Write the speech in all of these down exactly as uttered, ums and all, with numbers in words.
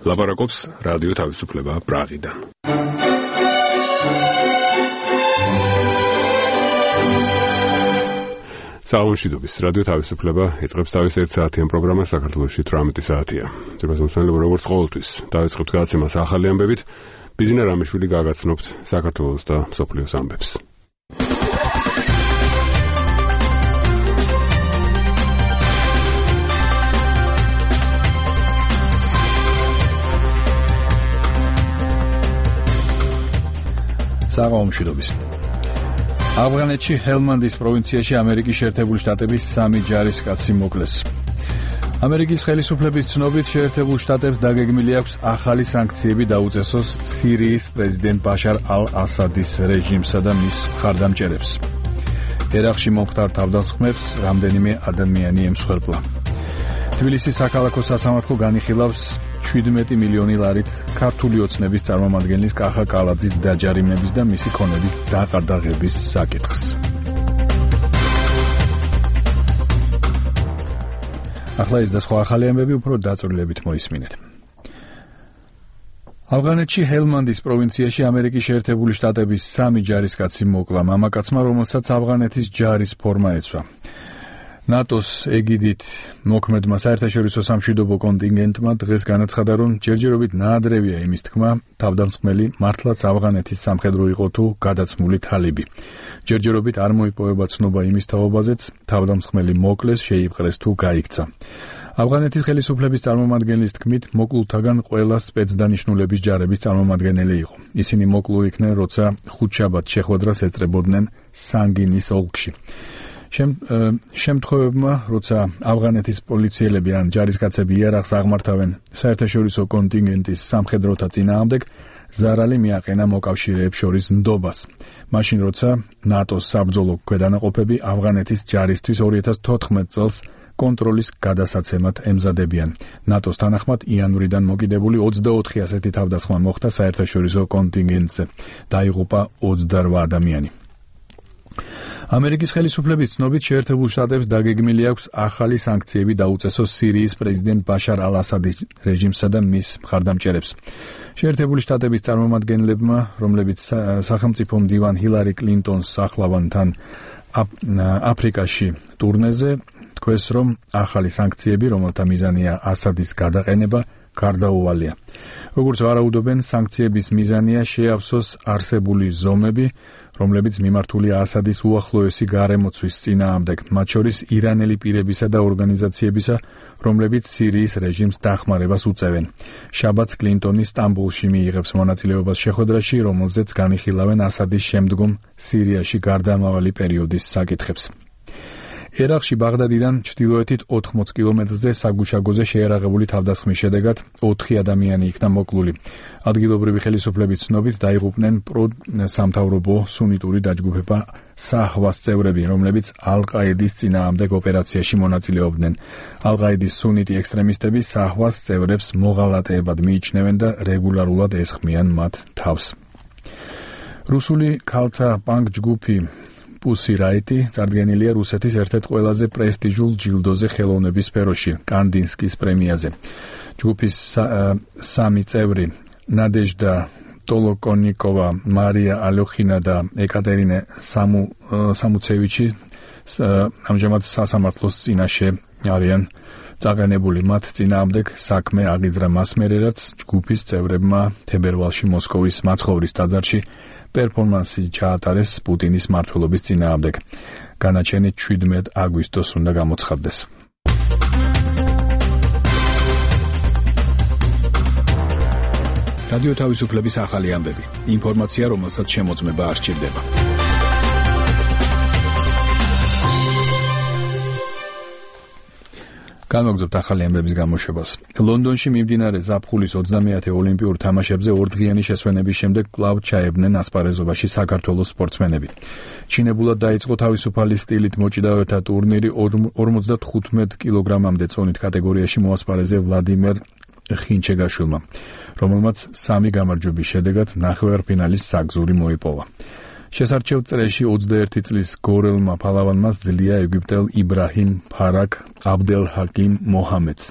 ლაპარაკობს რადიო თავისუფლება პრაღიდან. საუნშიდობის რადიო თავისუფლება იწყებს თავის ერთ საათიან პროგრამას საქართველოში თვრამეტი საათია. ძირფას მოსმენელებო, როგორც ყოველთვის, დავიწყებთ გადაცემას ახალი ამბებით, ბიზნა რამიშვილი გაგაცნობთ საქართველოს და მსოფლიოს ამბებს. საუნშიდობის ავღანეთში ჰელმანდის პროვინციაში ამერიკის შეერთებული შტატების სამი ჯარისკაცი მოკლეს. ამერიკის ხელისუფლების ცნობით შეერთებულ შტატებს დაგეგმილი აქვს ახალი სანქციები დაუწესოს სირიის პრეზიდენტ ბაშარ ალ-ასადის რეჟიმსა და მის მხარდამჭერებს. ერაყში მომხდარ თავდასხმებს რამდენიმე ადამიანი ემსხვერპლა. თბილისის საქალაქო სასამართლო განიხილავს შვიდმეტი მილიონი ლარით ქართული ოცნების წარმომადგენლის კახა კალაძის დაჯარიმების და მისი ქონების დაყარდაღების საკითხს. ახლა ეს და სხვა ახალი ამბები უფრო დაწვრილებით მოისმინეთ. ავღანეთში ჰელმანდის პროვინციაში ამერიკის შეერთებული შტატების სამი ჯარისკაცი მოკლა მამაკაცმა, რომელსაც ავღანეთის ჯარის ფორმა ეცვა. ნატოს ეგიდით მოქმედმა საერთაშორისო სამშვიდობო კონტინგენტმა დღეს განაცხადა, რომ ჯერჯერობით ნაადრევია იმის თქმა, თავდამსხმელი მართლაც ავღანეთის სამხედრო იყო თუ გადაცმული თალიბი. ჯერჯერობით არ მოიპოვება ცნობა იმის თაობაზეც, თავდამსხმელი მოკლეს, შეიპყრეს თუ გაიქცა. ავღანეთის ხელისუფლების წარმომადგენლის თქმით, მოკლულთაგან ყველა სპეცდანიშნულების ჯარების წარმომადგენელი იყო. ისინი მოკლულ იქნენ, როცა ხუთშაბათს შეხვედრას ეწრებოდნენ სანგინის ოლქში. შემთხვევებმა, როცა ავღანეთის პოლიციელები ან ჯარისკაცები იარაღს აღმართავენ საერთაშორისო კონტინგენტის სამხედროთა წინააღმდეგ, ზარალი მიაყენა მოკავშირეებს შორის ნდობას. მაშინ, როცა ნატოს საბრძოლო ქვედანაყოფები ავღანეთის ჯარისთვის ორი ათას თოთხმეტ წელს კონტროლის გადასაცემად ემზადებიან. ნატოს თანახმად იანვრიდან მოკიდებული ოცდაოთხი ასეთი თავდასხმა მოხდა საერთაშორისო კონტინგენტზე. დაიღუპა ოცდარვა ადამიანი. ამერიკის ხელისუფლების ცნობით შეერთებულ შტატებს დაგეგმილი აქვს ახალი სანქციები დაუწესოს სირიის პრეზიდენტ ბაშარ ალ-ასადის რეჟიმსა და მის მხარდამჭერებს. შეერთებული შტატების წარმომადგენლებმა, რომლებიც სახელმწიფო მდივან ჰილარი კლინტონს ახლავან თან აფრიკაში ტურნეზე, თქვეს, რომ ახალი სანქციები, რომელთა მიზანია ასადის გადაყენება, გარდაუვალია. როგორც ვარაუდობენ, სანქციების მიზანია შეავსოს არსებული ზომები, რომლებიც მიმართულია ასადის უახლოესი გარემოცვის წინააღმდეგ, მათ შორის ირანელი პირებისა და ორგანიზაციებისა, რომლებიც სირიის რეჟიმს დახმარებას უწევენ. შაბათს კლინტონი სტამბოლში მიიღებს მონაწილეობას შეხვედრაში, რომელზეც განიხილავენ ასადის შემდგომ სირიაში გარდამავალი პერიოდის საკითხებს. ერაყში ბაღდადიდან ჩრდილოეთით ოთხმოც კილომეტრზე საგუშაგოზე შეერაღებული თავდასხმის შედეგად ოთხი ადამიანი იქნა მოკლული. ადგილობრივი ხელისუფლების ცნობით დაიღუპნენ პრო-სამთავრობო სუნიტური დაჯგუფება საჰვას წევრები, რომლებიც ალ-ყაიდის წინააღმდეგ ოპერაციაში მონაწილეობდნენ. ალ-ყაიდის სუნიტი ექსტრემისტები საჰვას წევრებს მოღალატეებად მიიჩნევენ და რეგულარულად ესხმიან მათ თავს. რუსული ქალთა პანკ ჯგუფი პუსი რაიტი წარდგენილია რუსეთის ერთ-ერთ ყველაზე პრესტიჟულ ჯილდოზე ხელოვნების სფეროში, კანდინსკის პრემიაზე. ჯგუფის სამი წევრი ნადეჟდა ტოლოკონიკოვა, მარია ალოხინა და ეკატერინე სამუცევიჩი ამჟამად სასამართლოს წინაშე არიან წაყენებული. მათ წინააღმდეგ საქმე აღიძრა მას მერე, რაც ჯგუფის წევრებმა თებერვალში მოსკოვის მაცხოვრის ტაძარში პერფორმანსი ჩაატარეს პუტინის მმართველობის წინააღმდეგ. განაჩენი შვიდმეტ აგვისტოს უნდა გამოცხადდეს. რადიო თავისუფლების ახალი ამბები. ინფორმაცია, რომელსაც შემოწმება არ სჭირდება. განვაგრძობთ ახალი ამბების გამოშვებას. ლონდონში მიმდინარე ზაფხულის ოცდამეათე ოლიმპიურ თამაშებზე ორდღიანი შესვენების შემდეგ კვლავ ჩაებდნენ ასპარეზობაში საქართველოს სპორტსმენები. ჩინებულად დაიწყო თავისუფალი სტილით მოჭიდავეთა ტურნირი ორმოცდათხუთმეტ კილოგრამამდე წონით კატეგორიაში მოასპარეზე ვლადიმერ ხინჩეგაშვილმა, რომელმაც სამი გამარჯვების შედეგად ნახევარფინალის საგზური მოიპოვა. შესარჩევ წრეში ოცდაერთი წლის გორელმა ფალავანმა ძლია ეგვიპტელ იბრაჰიმ ფარაკ აბდელჰაკიმ მოჰამედს.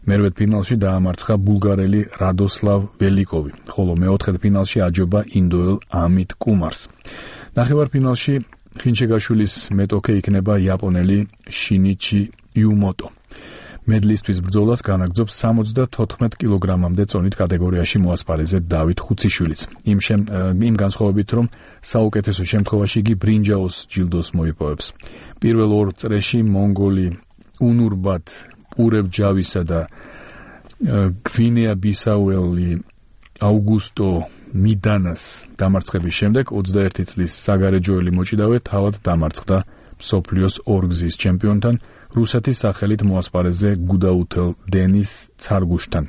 მერვედფინალში დაამარცხა ბულგარელი რადოსლავ ველიკოვი, ხოლო მეოთხედფინალში აჯობა ინდოელ ამით კუმარს. ნახევარფინალში ხინშეგაშვილის მეტოქე იქნება იაპონელი შინიჩი იუმოტო. მედლისთვის ბრძოლას განაგრძობს სამოცდათოთხმეტ კილოგრამამდე წონით კატეგორიაში მოასპარეზე დავით ხუციშვილიც. იმ შემ იმ განსხვავებით, რომ საუკეთესო შემთხვევაში იგი ბრინჯაოს ჯილდოს მოიპოვებს. პირველ ორ წრეში მონგოლი უნურბათ პურევჯავისა და გვინეა-ბისაუელი აუგუსტო მიდანას დამარცხების შემდეგ ოცდაერთი წლის საგარეჯოელი მოჭიდავე თავად დამარცხდა მსოფლიოს ორგზის ჩემპიონთან რუსეთის სახელით მოასპარეზე გუდაუთელ დენის ცარგუშთან.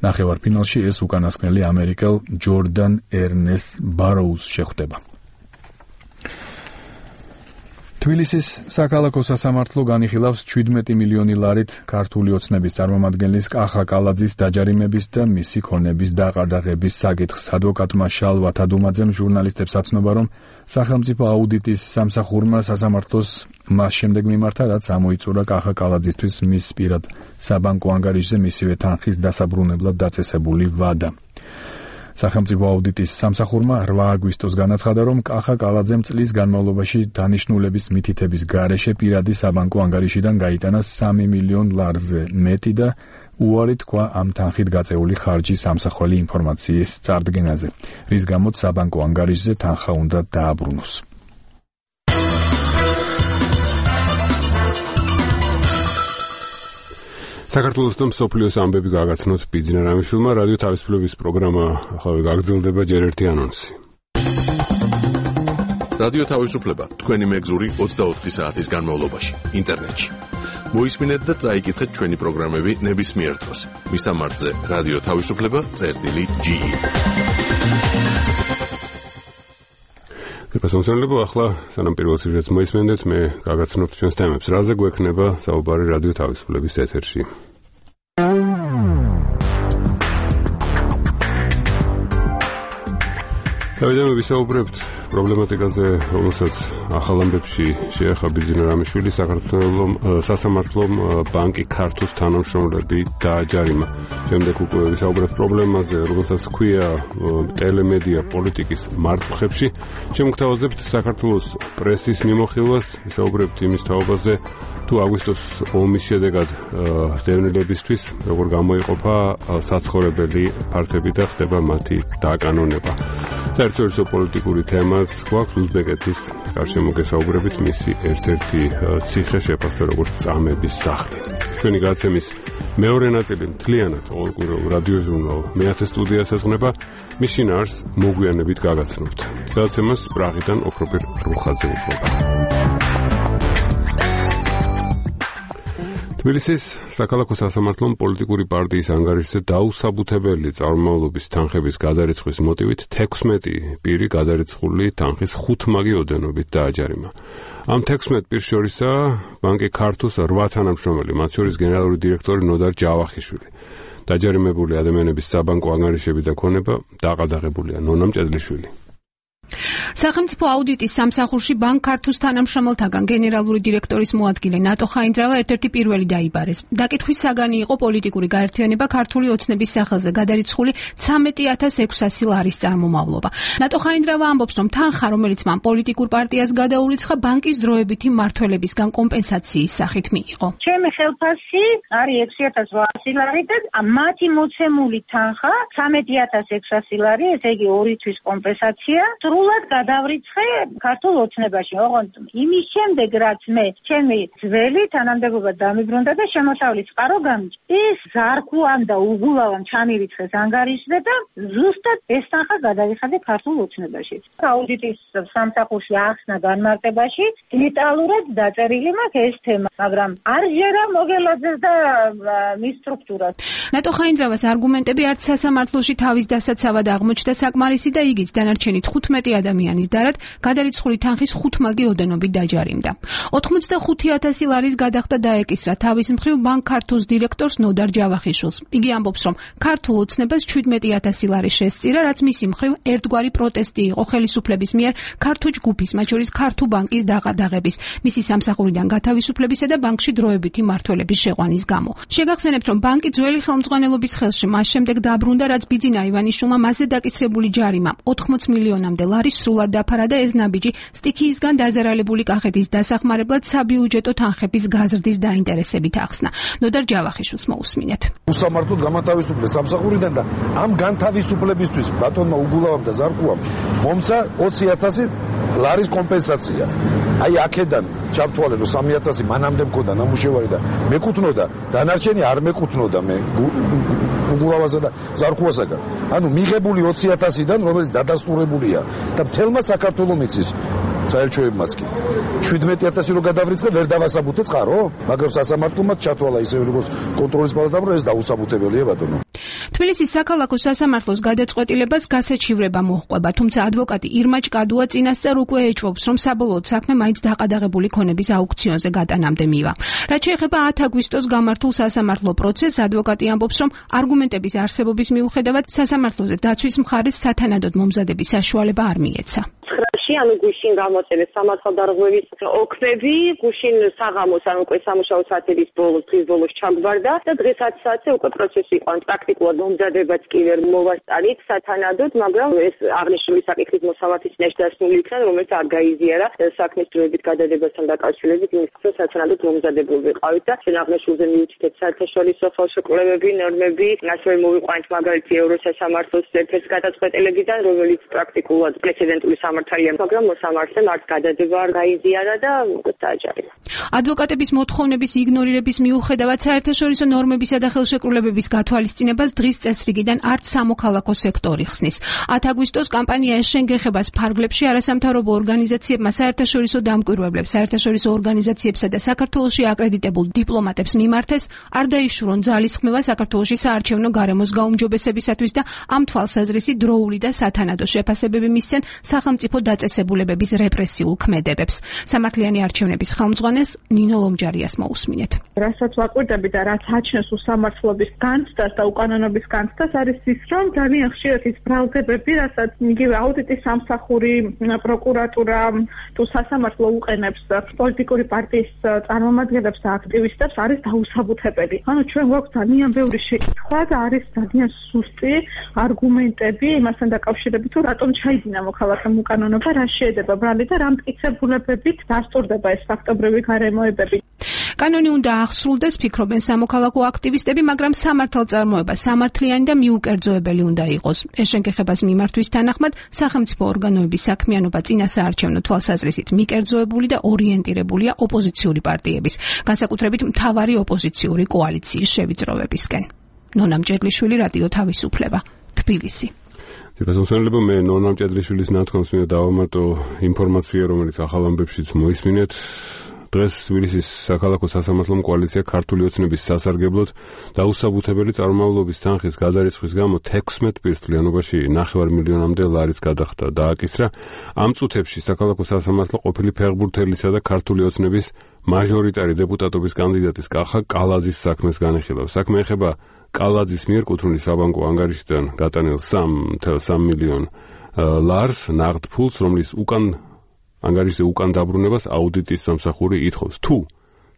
ნახევარფინალში ეს უკანასკნელი ამერიკელ ჯორდან ერნეს ბაროუს შეხვდება. თბილისის საქალაქო სასამართლო განიხილავს შვიდმეტი მილიონი ლარით ქართული ოცნების წარმომადგენლის კახა კალაძის დაჯარიმების და მისი ქონების დაყადაღების საკითხს. ადვოკატმა შალვა თადუმაძემ ჟურნალისტებს აცნობა, რომ სახელმწიფო აუდიტის სამსახურმა სასამართლოს მას შემდეგ მიმართა, რაც ამოიწურა კახა კალაძისთვის მის პირად საბანკო ანგარიშზე მისივე თანხის დასაბრუნებლად დაწესებული ვადა. სახელმწიფო აუდიტის სამსახურმა რვა აგვისტოს განაცხადა, რომ კახა კალაძემ წლის განმავლობაში დანიშნულების მითითების გარეშე პირადი საბანკო ანგარიშიდან გაიტანა სამი მილიონ ლარზე მეტი და უარი თქვა ამ თანხით გაწეული ხარჯის ამსახველი ინფორმაციის წარდგენაზე, რის გამოც საბანკო ანგარიშზე თანხა უნდა დააბრუნოს. საქართველოს და მსოფლიოს ამბები გაგაცნოთ ბიძინა რამიშვილმა. რადიო თავისუფლების პროგრამა ახლა გაგრძელდება, ჯერ ერთი ანონსი. რადიო თავისუფლება თქვენი მეგზური ოცდაოთხი საათის განმავლობაში ინტერნეტში. მოისმინეთ და წაიკითხეთ ჩვენი პროგრამები ნებისმიერ დროს. მისამართზე რადიო თავისუფლება წერტილი ჯი. გასამსონლებო, ახლა სანამ პირველ სიუჟეტს მოისმენდეთ, მე გაგაცნობთ ჩვენს თემებს. რაზე გვექნება საუბარი რადიო თავისუფლების ეთერში? დავიდე, ვისაუბრებთ პრობლემატიკაზე, რომელსაც ახალ ამბებში შეეხება ბიძინა რამიშვილი. საქართველოს სასამართლომ ბანკი ქართუს თანამშრომლები დააჯარიმა. შემდეგ უკვე ვისაუბრებთ პრობლემაზე, რომელსაც ჰქვია ტელემედია პოლიტიკის მართლხებში. შემოგთავაზებთ საქართველოს პრესის მიმოხილვას, ვისაუბრებთ იმის თაობაზე, თუ აგვისტოს ომის შედეგად დევნილებისთვის როგორ გამოიყოფა საცხოვრებელი ფართები და ხდება მათი დაკანონება. საერთაშორისო პოლიტიკური თემაც გვაქვს უზბეკეთის გარშემო გესაუბრებით, მისი ერთ-ერთი ციხე შეფასდა როგორც წამების სახლი. ჩვენი გადაცემის მეორე ნაწილი მთლიანად ყოველკვირეულ რადიო ჟურნალ მეათე სტუდიას ეძღვნება, მის შინაარს მოგვიანებით გაგაცნობთ. გადაცემას პრაღიდან ოქროპირ რუხაძე უძღვება. თბილისის საქალაქო სასამართლომ პოლიტიკური პარტიის ანგარიშზე დაუსაბუთებელი წარმომავლობის თანხების გადარიცხვის მოტივით თექვსმეტი პირი გადარიცხული თანხის ხუთმაგი ოდენობით დააჯარიმა. ამ თექვსმეტ პირს შორისაა ბანკი ქართუს რვა თანამშრომელი, მათ შორის გენერალური დირექტორი ნოდარ ჯავახიშვილი. დაჯარიმებული ადამიანების საბანკო ანგარიშები და ქონება დაყადაღებულია. ნონა მჭედლიშვილი. სახელმწიფო აუდიტის სამსახურში ბანკ ქართუს თანამშრომელთაგან გენერალური დირექტორის მოადგილე ნატო ხაინდრავა ერთ-ერთი პირველი დაიბარეს. დაკითხვის საგანი იყო პოლიტიკური გაერთიანება ქართული ოცნების სახელზე გადარიცხული ცამეტი ათას ექვსასი ლარის წარმომავლობა. ნატო ხაინდრავა ამბობს, რომ თანხა, რომელიც მან პოლიტიკურ პარტიას გადაურიცხა, ბანკის დროებითი მმართველებისგან კომპენსაციის სახით მიიღო. ჩემი ხელფასი არის ექვსი ათას ოთხასი ლარი და მათი მოცემული თანხა ცამეტი ათას ექვსასი ლარი, ესე იგი ორი თვის კომპენსაცია. სრულად გადავრიცხე ქართულ ოცნებაში. ოღონდ იმის შემდეგ, რაც მე ჩემი ძველი თანამდებობა დამიბრუნდა და შემოსავლის წყარო გამიჭ. ის ზარქუამ და უგულავამ ჩამირიცხეს ანგარიშზე და ზუსტად ეს თანხა გადავიხადე ქართულ ოცნებაში. აუდიტის სამსახურში ახსნა განმარტებაში დეტალურად დაწერილი მაქვს ეს თემა, მაგრამ არ ჟერა მოგელაძეს და მის სტრუქტურას. ნატო ხაინდრავას არგუმენტები არც სასამართლოში თავის დასაცავად აღმოჩნდა საკმარისი და იგიც დანარჩენი თხუთმეტი ოცდაოთხ ადამიანის დარად გადარიცხული თანხის ხუთმაგი ოდენობით დაჯარიმდა. ოცდახუთი ათასი ლარის გადახდა დაეკისრა თავის მხრივ ბანკ ქართულს დირექტორს ნოდარ ჯავახიშვილს. იგი ამბობს, რომ ქართულ ოცნებას შვიდმეტი ათასი ლარი შესწირა, რაც მისი მხრივ ერთგვარი პროტესტი იყო ხელისუფლების მიერ ქართულ ჯგუფის, მათ შორის ქართულ ბანკის დაყადაღების, მისი სამსახურიდან გათავისუფლებისა და ბანკში დროებითი მმართველების შეყვანის გამო. შეგახსენებთ, რომ ბანკი ძველი ხელმძღვანელობის ხელში მას შემდეგ დაბრუნდა, რაც ბიძინა ივანიშვილმა მასზე დაკისრებული ჯარიმა ოთხმოც მილიონამდე ლარი სრულად დაფარა და ეს ნაბიჯი სტიქიისგან დაზარალებული კახეთის დასახმარებლად საბიუჯეტო თანხების გაზრდის დაინტერესებით ახსნა. ნოდარ ჯავახიშვილს მოусმინეთ. უსამართლოდ გამოთავისუფლეს სამსახურიდან და ამ განთავისუფლებისთვის ბატონმა უგულავამ და ზარკუამ მომცა ოცი ათასი ლარის კომპენსაცია. აი აქედან ჩავთვალე, რომ სამი ათასი მანამდე მქონდა ნამუშევარი და მეკუთვნოდა, დანარჩენი არ მეკუთვნოდა მე უგულავასა და ზარკუასაგან. ანუ მიღებული ოცი ათასიდან, რომელიც დადასტურებულია და მთელმა საქართველოს მიცის საელჩოებმაც კი. შვიდმეტი ათასი რო გადავრიცხე, ვერ დავასაბუთე წყარო, მაგრამ სასამართლომაც ჩათვალა ისე როგორც კონტროლის პალატამ, რომ ეს დაუსაბუთებელია ბატონო. თბილისის საქალაქო სასამართლოს გადაწყვეტილებას გასაჩივრება მოჰყვება, თუმცა ადვოკატი ირმა ჭკადუა წინასწარ უკვე ეჭვობს, რომ საბოლოოდ საქმე მაინც დაყადაღებული ქონების აუქციონზე გატანამდე მივა. რაც შეეხება ათი აგვისტოს გამართულ სასამართლო პროცესს, ადვოკატი ამბობს, რომ არგუმენტების არსებობის მიუხედავად სასამართლოზე დაცვის მხარეს სათანადოდ მომზადების საშუალება არ მიეცა. ანუ გუშინ გამოწერეს სამართალდარღვევის ოქმები, გუშინ საღამოს, ანუ უკვე სამუშაო საათების ბოლოს, დღის ბოლოს ჩაგვარდა და დღესაც საათზე უკვე პროცესი იყო, ან პრაქტიკულად მომზადებაც კი ვერ მოვასწარით სათანადოდ, მაგრამ ეს აღნიშნული საკითხის მოსამართის წინაშე დასმული იქნა, რომელიც არ გაიზიარა საქმის დროებით გადადებასთან დაკავშირებით, იმის რომ სათანადოდ მომზადებული ვიყავით და ჩვენ აღნიშნულზე მივუჩითეთ საერთაშორისო ხელშეკრულებები, ნორმები, ასევე მოვიყვანეთ მაგალითი ევროსასამართლოს ერთ-ერთი გადაწყვეტილებიდან, რომელიც პრაქტიკულად პრეცედენტული სამართალია, მაგრამ მოსამართლემ არც გადადება არ გაიზიარა და დააჯარიმა. ადვოკატების მოთხოვნების იგნორირების მიუხედავად საერთაშორისო ნორმებისა და ხელშეკრულებების გათვალისწინებას დღის წესრიგიდან არც სამოქალაქო სექტორი ხსნის. ათი აგვისტოს კამპანია ეშენ გეხებას ფარგლებში არასამთავრობო ორგანიზაციებმა საერთაშორისო დამკვირვებლებს, საერთაშორისო ორგანიზაციებსა და საქართველოში აკრედიტებულ დიპლომატებს მიმართეს, არ დაიშურონ ძალისხმევა საქართველოში საარჩევნო გარემოს გაუმჯობესებისათვის და ამ თვალსაზრისით დროული და სათანადო შეფასებები მისცენ სახელმწიფო დაწესებულებების რეპრესიულ ქმედებებს. სამართლიანი არჩევნების ხელმძღვანელს ნინო ლომჯარიას მოусმინეთ. რასაც ვაკვირდები და რაც აჩნევს უსამართლობის განცდას და უკანონობის განცდას არის ის, რომ ძალიან ხშირად ის ბრალდებები, რასაც იგივე აუდიტის სამსახური, პროკურატურა თუ სასამართლო უყენებს პოლიტიკური პარტიის წარმომადგენლებს და აქტივისტებს, არის დაუსაბუთებელი. ანუ ჩვენ გვაქვს ძალიან ბევრი შეკითხვა და არის ძალიან სუსტი არგუმენტები იმასთან დაკავშირებით, თუ რატომ ჩაიდინა მოქალაქემ უკანონობა, რა შეედება ბრალი და რა მტკიცებულებებით დასტურდება ეს ფაქტობრივი გარემოებები. კანონი უნდა აღსრულდეს, ფიქრობენ სამოქალაქო აქტივისტები, მაგრამ სამართალწარმოება სამართლიანი და მიუკერძოებელი უნდა იყოს. ეშენ გეხებას მიმართვის თანახმად სახელმწიფო ორგანოების საქმიანობა წინასაარჩევნო თვალსაზრისით მიკერძოებული და ორიენტირებულია ოპოზიციური პარტიების, განსაკუთრებით მთავარი ოპოზიციური კოალიციის შევიწროვებისკენ. ნონა მჭედლიშვილი, რადიო თავისუფლება, თბილისი. დიახ, მე ნონა მჭედლიშვილის ნათქვამს მინდა დავამატო ინფორმაცია, რომელიც ახალ ამბებშიც მოისმინეთ. დღეს თბილისის საქალაქო სასამართლომ კოალიცია ქართული ოცნების სასარგებლოდ დაუსაბუთებელი წარმომავლობის თანხის გადარიცხვის გამო თექვსმეტ პირსთლიანობაში ნახევარ მილიონამდე ლარის გადახდა დააკისრა. ამ წუთებში საქალაქო სასამართლო ყოფილი ფეხბურთელისა და ქართული ოცნების მაჟორიტარი დეპუტატობის კანდიდატის კახა კალაძის საქმეს განიხილავს. საქმე ეხება კალაძის მიერ კუთრული საბანკო ანგარიშიდან გატანილ სამი ფاصლე სამი მილიონ ლარს ნაღდ ფულს, რომლის უკან ანგარიშზე უკან დაბრუნებას აუდიტის სამსახური ითხოვს. თუ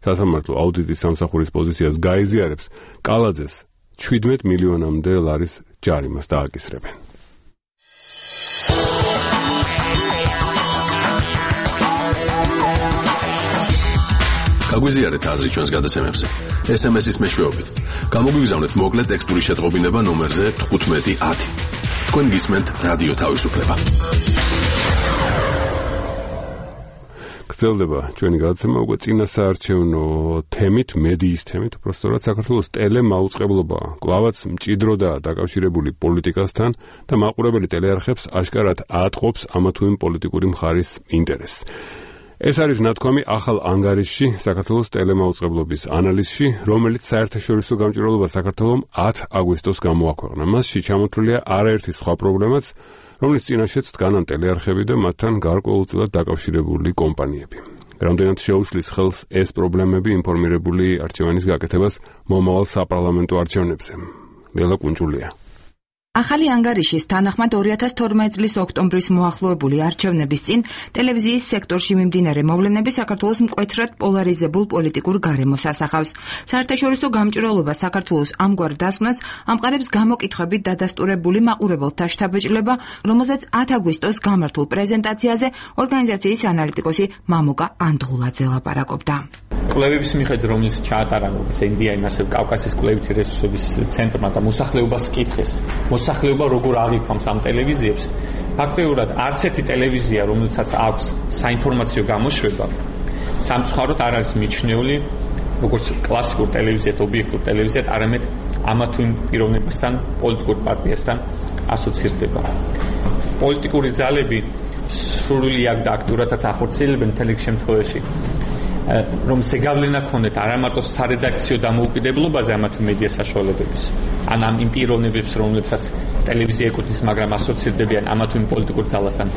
სასამართლო აუდიტის სამსახურის პოზიციას გაიზიარებს, კალაძეს შვიდმეტ მილიონამდე ლარის ჯარიმას დააკისრებენ. გაგვიზიარეთ აზრი ჩვენს გადაცემებზე. ეს ემ ეს-ის მეშვეობით. გამოგვიგზავნეთ მოკლე ტექსტური შეტყობინება ნომერზე თხუთმეტი ათი. თქვენ გისმენთ რადიო თავისუფლება. გრძელდება ჩვენი გადაცემა უკვე წინასაარჩევნო თემით, მედიის თემით, უბრალოდ საქართველოს ტელემაუწყებლობა კვლავაც მჭიდროდაა დაკავშირებული პოლიტიკასთან და მაყურებელი ტელეარხებს აშკარად აატყობს ამა თუ იმ პოლიტიკური მხარის ინტერესს. ეს არის ნათქვამი ახალ ანგარიშში საქართველოს ტელემაუწყებლობის ანალიზში, რომელიც საერთაშორისო გამჭვირვალობა საქართველომ ათი აგვისტოს გამოაქვეყნა. მასში ჩამოთვლილია არაერთი სხვა პრობლემაც, რომლის წინაშეც დგანან ტელეარხები და მათთან გარკვეულწილად დაკავშირებული კომპანიები. რამდენად შეუშლის ხელს ეს პრობლემები ინფორმირებული არჩევანის გაკეთებას მომავალ საპარლამენტო არჩევნებზე. ლელა კუნჭულია. ახალი ანგარიშის თანახმად ორი ათას თორმეტი წლის ოქტომბრის მოახლოებული არჩევნების წინ ტელევიზიის სექტორში მიმდინარე მოვლენები საქართველოს მკვეთრად პოლარიზებულ პოლიტიკურ გარემოს ასახავს. საერთაშორისო გამჭვირვალობა საქართველოს ამგვარ დასკვნას ამყარებს გამოკითხვებით დადასტურებული მაყურებელთა შთაბეჭდილება, რომელზეც ათი აგვისტოს გამართულ პრეზენტაციაზე ორგანიზაციის ანალიტიკოსი მამუკა ანდღულაძე ლაპარაკობდა. კვლევების მიხედვით, რომელიც ჩაატარა ინდიაიმ ასევე კავკასიის კვლევითი რესურსების ცენტრმა და მოსახლეობას კითხეს, მოსახლეობა როგორ აღიქვამს ამ ტელევიზიებს, ფაქტობრივად არც ერთი ტელევიზია, რომელსაც აქვს საინფორმაციო გამოშვება, სამწუხაროდ არ არის მიჩნეული როგორც კლასიკურ ტელევიზიად, ობიექტურ ტელევიზიად, არამედ ამა თუ იმ პიროვნებასთან, პოლიტიკურ პარტიასთან ასოცირდება. პოლიტიკური ძალები სრული აქ და აქტიურადაც ახორციელებენ მთელი შემთხვევაში, რომ ზეგავლენა ქონდეთ არა მარტო სარედაქციო დამოუკიდებლობაზე ამა თუ მედია საშუალებების, ან ამ იმ პიროვნებებს, რომლებსაც ტელევიზია ეკუთვნის, მაგრამ ასოცირდებიან ამა თუ იმ პოლიტიკურ ძალასთან,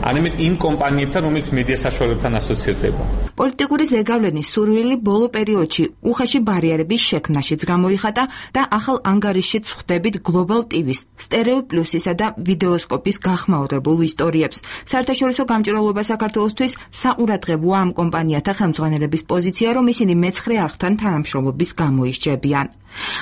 არამედ იმ კომპანიებთან, რომელიც მედია საშუალებებთან ასოცირდება. პოლიტიკური ზეგავლენის სურვილი ბოლო პერიოდში უხეში ბარიერების შექმნაშიც გამოიხატა და ახალ ანგარიშშიც ხვდებით გლობალ ტივის, სტერეო პლუსისა და ვიდეოსკოპის გახმაურებულ ისტორიებს. საერთაშორისო გამჭვირვალობა საქართველოსთვის საყურადღებოა ამ კომპანიათა ხელმძღვანელების პოზიცია, რომ ისინი მეცხრე არხთან თანამშრომლობის გამოისჯებიან.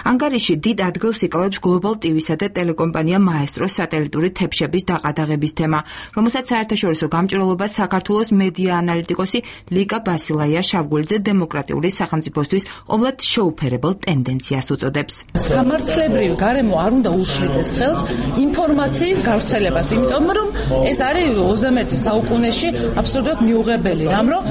ანგარიში დიდ ადგილს იკავებს გლობალ ტივისა და ტელეკომპანია მაესტროს სატელიტური თეფშების დაყადაღების თემა, რომელსაც საერთაშორისო გამჭვირვალობა საქართველოს მედია ანალიტიკოსი ლიკა ბასილაია შავგულიძე დემოკრატიული სახელმწიფოსთვის ყოვლად შეუფერებელ ტენდენციას უწოდებს. სამართლებრივი გარემო არ უნდა უშლიდეს ხელს ინფორმაციის გავრცელებას, იმიტომ რომ ეს არის ოცდამეერთე საუკუნეში აბსოლუტურად მიუღებელი რამ, რომ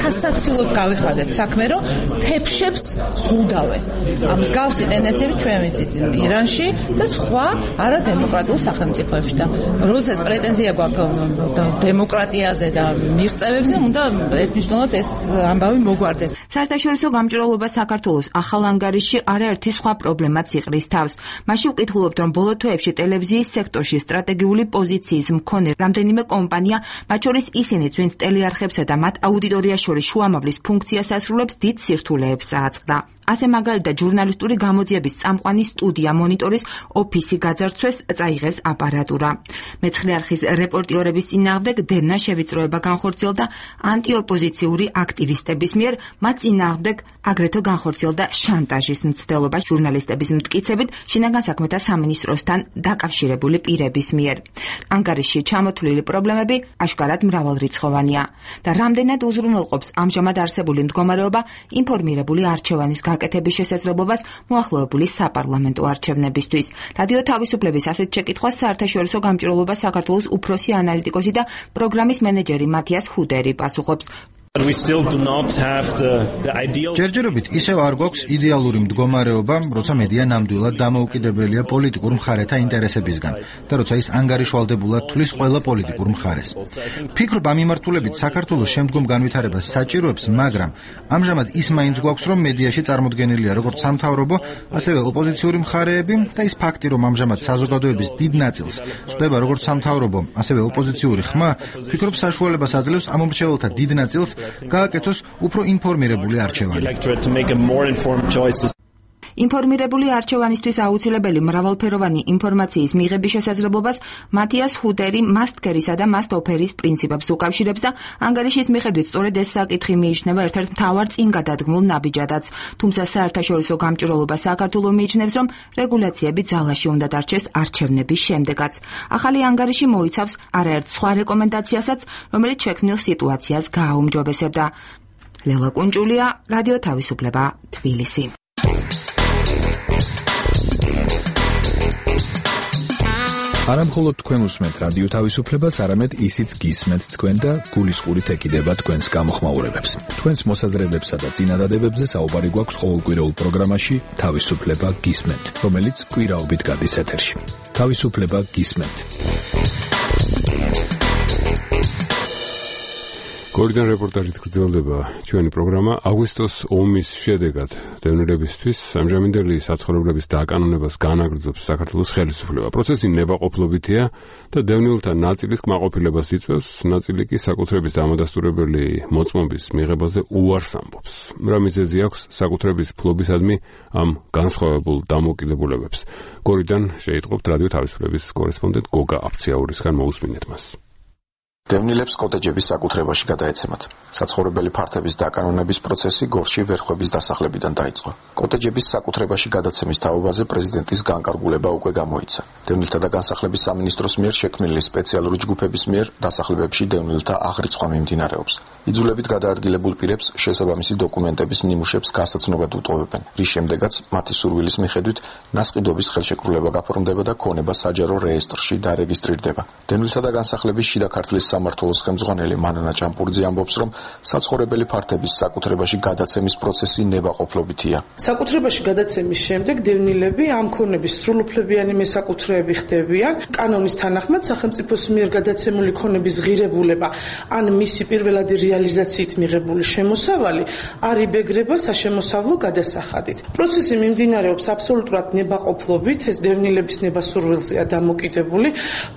სასაცილოდ გავიხადეთ საქმე, რომ თეფშებს ზღუდავენ. ამ მსგავსი ტენდენციები ჩვენ ვიცით ირანში და სხვა არადემოკრატიულ სახელმწიფოებში და როდესაც პრეტენზია გვაქვს დემოკრატიაზე და მიღწევებზე, უნდა ერთნიშნულად ეს ამბავი მოგვარდეს. საერთაშორისო გამჭვირვალობა საქართველოს ახალ ანგარიშში არაერთი სხვა პრობლემაც იყრის თავს. მასში ვკითხულობთ, რომ ბოლო თვეებში ტელევიზიის სექტორში სტრატეგიული პოზიციის მქონე რამდენიმე კომპანია, მათ შორის ისინიც, ვინც ტელეარხებსა და მათ აუდიტორიას შორის შუამავლის ფუნქციას ასრულებს, დიდ სირთულეებს აწყდა. ასე მაგალითად ჟურნალისტური გამოძიების წამყვანი სტუდია მონიტორის ოფისი გაძარცვეს, წაიღეს აპარატურა. მეცხრე არხის რეპორტიორების წინააღმდეგ დევნა შევიწროება განხორციელდა ანტიოპოზიციური აქტივისტების მიერ, მათ წინააღმდეგ აგრეთვე განხორციელდა შანტაჟის მცდელობა ჟურნალისტების მტკიცებით შინაგან საქმეთა სამინისტროსთან დაკავშირებული პირების მიერ. ანგარიშში ჩამოთვლილი პრობლემები აშკარად მრავალრიცხოვანია და რამდენად უზრუნველყოფს ამჟამად არსებული მდგომარეობა ინფორმირებული არჩევანის გაკეთების შესაძლებლობას მოახლოებული საპარლამენტო არჩევნებისთვის. რადიო თავისუფლების ასეთ შეკითხვას საერთაშორისო გამჭვირვალობა საქართველოს უფროსი ანალიტიკოსი და პროგრამის მენეჯერი მათიას ჰუდერი პასუხობს. ჯერჯერობით ისევ არ გვაქვს იდეალური მდგომარეობა, როცა მედია ნამდვილად დამოუკიდებელია პოლიტიკურ მხარეთა ინტერესებისგან და როცა ის ანგარიშვალდებულად თulis ყველა პოლიტიკურ მხარეს. ფიქრობ ამ მიმართულებით საქართველოს შემდგომ განვითარებას საჭიროებს, მაგრამ ამჟამად ის მაინც გვაქვს, რომ მედიაში წარმოდგენილია როგორც სამთავრობო, ასევე ოპოზიციური მხარეები და ის ფაქტი, რომ ამჟამად საზოგადოების დიდ ნაწილს ხვდება როგორც სამთავრობო, ასევე ოპოზიციური ხმა, ფიქრობ საშუალებას აძლევს ამ მომრჩეველთა დიდ ნაწილს გააკეთოს უფრო ინფორმირებული არჩევანი. ინფორმირებული არჩევანისთვის აუცილებელი მრავალფეროვანი ინფორმაციის მიღების შესაძლებლობას მათიას ჰუტერი მასტკერისა და მასტოფერის პრინციპებს უკავშირებს და ანგარიშის მიხედვით სწორედ ეს საკითხი მიიჩნევა ერთ-ერთ მთავარ წინგადადგმულ ნაბიჯადაც. თუმცა საერთაშორისო გამჭვირვალობა საქართველოს მიიჩნევს, რომ რეგულაციები ძალაში უნდა დარჩეს არჩევნების შემდეგაც. ახალი ანგარიში მოიცავს არაერთ სხვა რეკომენდაციასაც, რომელიც შექმნილ სიტუაციას გააუმჯობესებდა. ლელა კუნჭულია, რადიო თავისუფლება, თბილისი. არა მხოლოდ თქვენ უსმენთ რადიო თავისუფლებას, არამედ ისიც გისმენთ თქვენ და გულისყურით ეკიდება თქვენს გამოხმაურებებს. თქვენს მოსაზრებებსა და წინადადებებზე საუბარი გვაქვს ყოველკვირეულ პროგრამაში თავისუფლება გისმენთ, რომელიც კვირაობით გადის ეთერში. თავისუფლება გისმენთ. გორიდან რეპორტაჟით გრძელდება ჩვენი პროგრამა. აგვისტოს ომის შედეგად დევნილებისთვის ამჟამინდელი საცხოვრებლების დაკანონებას განაგრძობს საქართველოს ხელისუფლება. პროცესი ნებაყოფლობითია და დევნილთა ნაწილის კმაყოფილებას იწვევს, ნაწილი კი საკუთრების დამადასტურებელი მოწმობის მიღებაზე უარს ამბობს. რა მიზეზი აქვს საკუთრების ფლობისადმი ამ განსხვავებულ დამოკიდებულებებს? გორიდან შეიტყობთ რადიო თავისუფლების კორესპონდენტ გოგა აფციაურისგან, მოусმინეთ მას. დევნილებს კოტეჯების საკუთრებაში გადაეცემათ. საცხოვრებელი ფართების დაკანონების პროცესი გორში ვერხვების დასახლებიდან დაიწყო. კოტეჯების საკუთრებაში გადაცემის თაობაზე პრეზიდენტის განკარგულება უკვე გამოიცა. დევნილთა და განსახლების სამინისტროს მიერ შექმნილი სპეციალური ჯგუფების მიერ დასახლებებში დევნილთა აღრიცხვა მიმდინარეობს. იძულებით გადაადგილებულ პირებს შესაბამისი დოკუმენტების ნიმუშებს გასაცნობად უტოვებენ, რის შემდეგაც მათი სურვილის მიხედვით ნასყიდობის ხელშეკრულება გაფორმდება და ქონება საჯარო რეესტრში დარეგისტრირდება. დევნილთა და განსახლების შიდა ქართლის სამმართველოს ხელმძღვანელი მანანა ჭამპურიძე ამბობს, რომ საცხოვრებელი ფართების საკუთრებაში გადაცემის პროცესი ნებაყოფლობითია. საკუთრებაში გადაცემის შემდეგ დევნილები ამ ქონების სრულუფლებიანი მესაკუთრეები ხდებიან. კანონის თანახმად სახელმწიფოს მიერ გადაცემული ქონების ღირებულება ან მისი პირველადი რეალიზაციით მიღებული შემოსავალი არ იბეგრება საშემოსავლო გადასახადით. პროცესი მიმდინარეობს აბსოლუტურად ნებაყოფლობით, ეს დევნილების ნებასურვილზეა დამოკიდებული,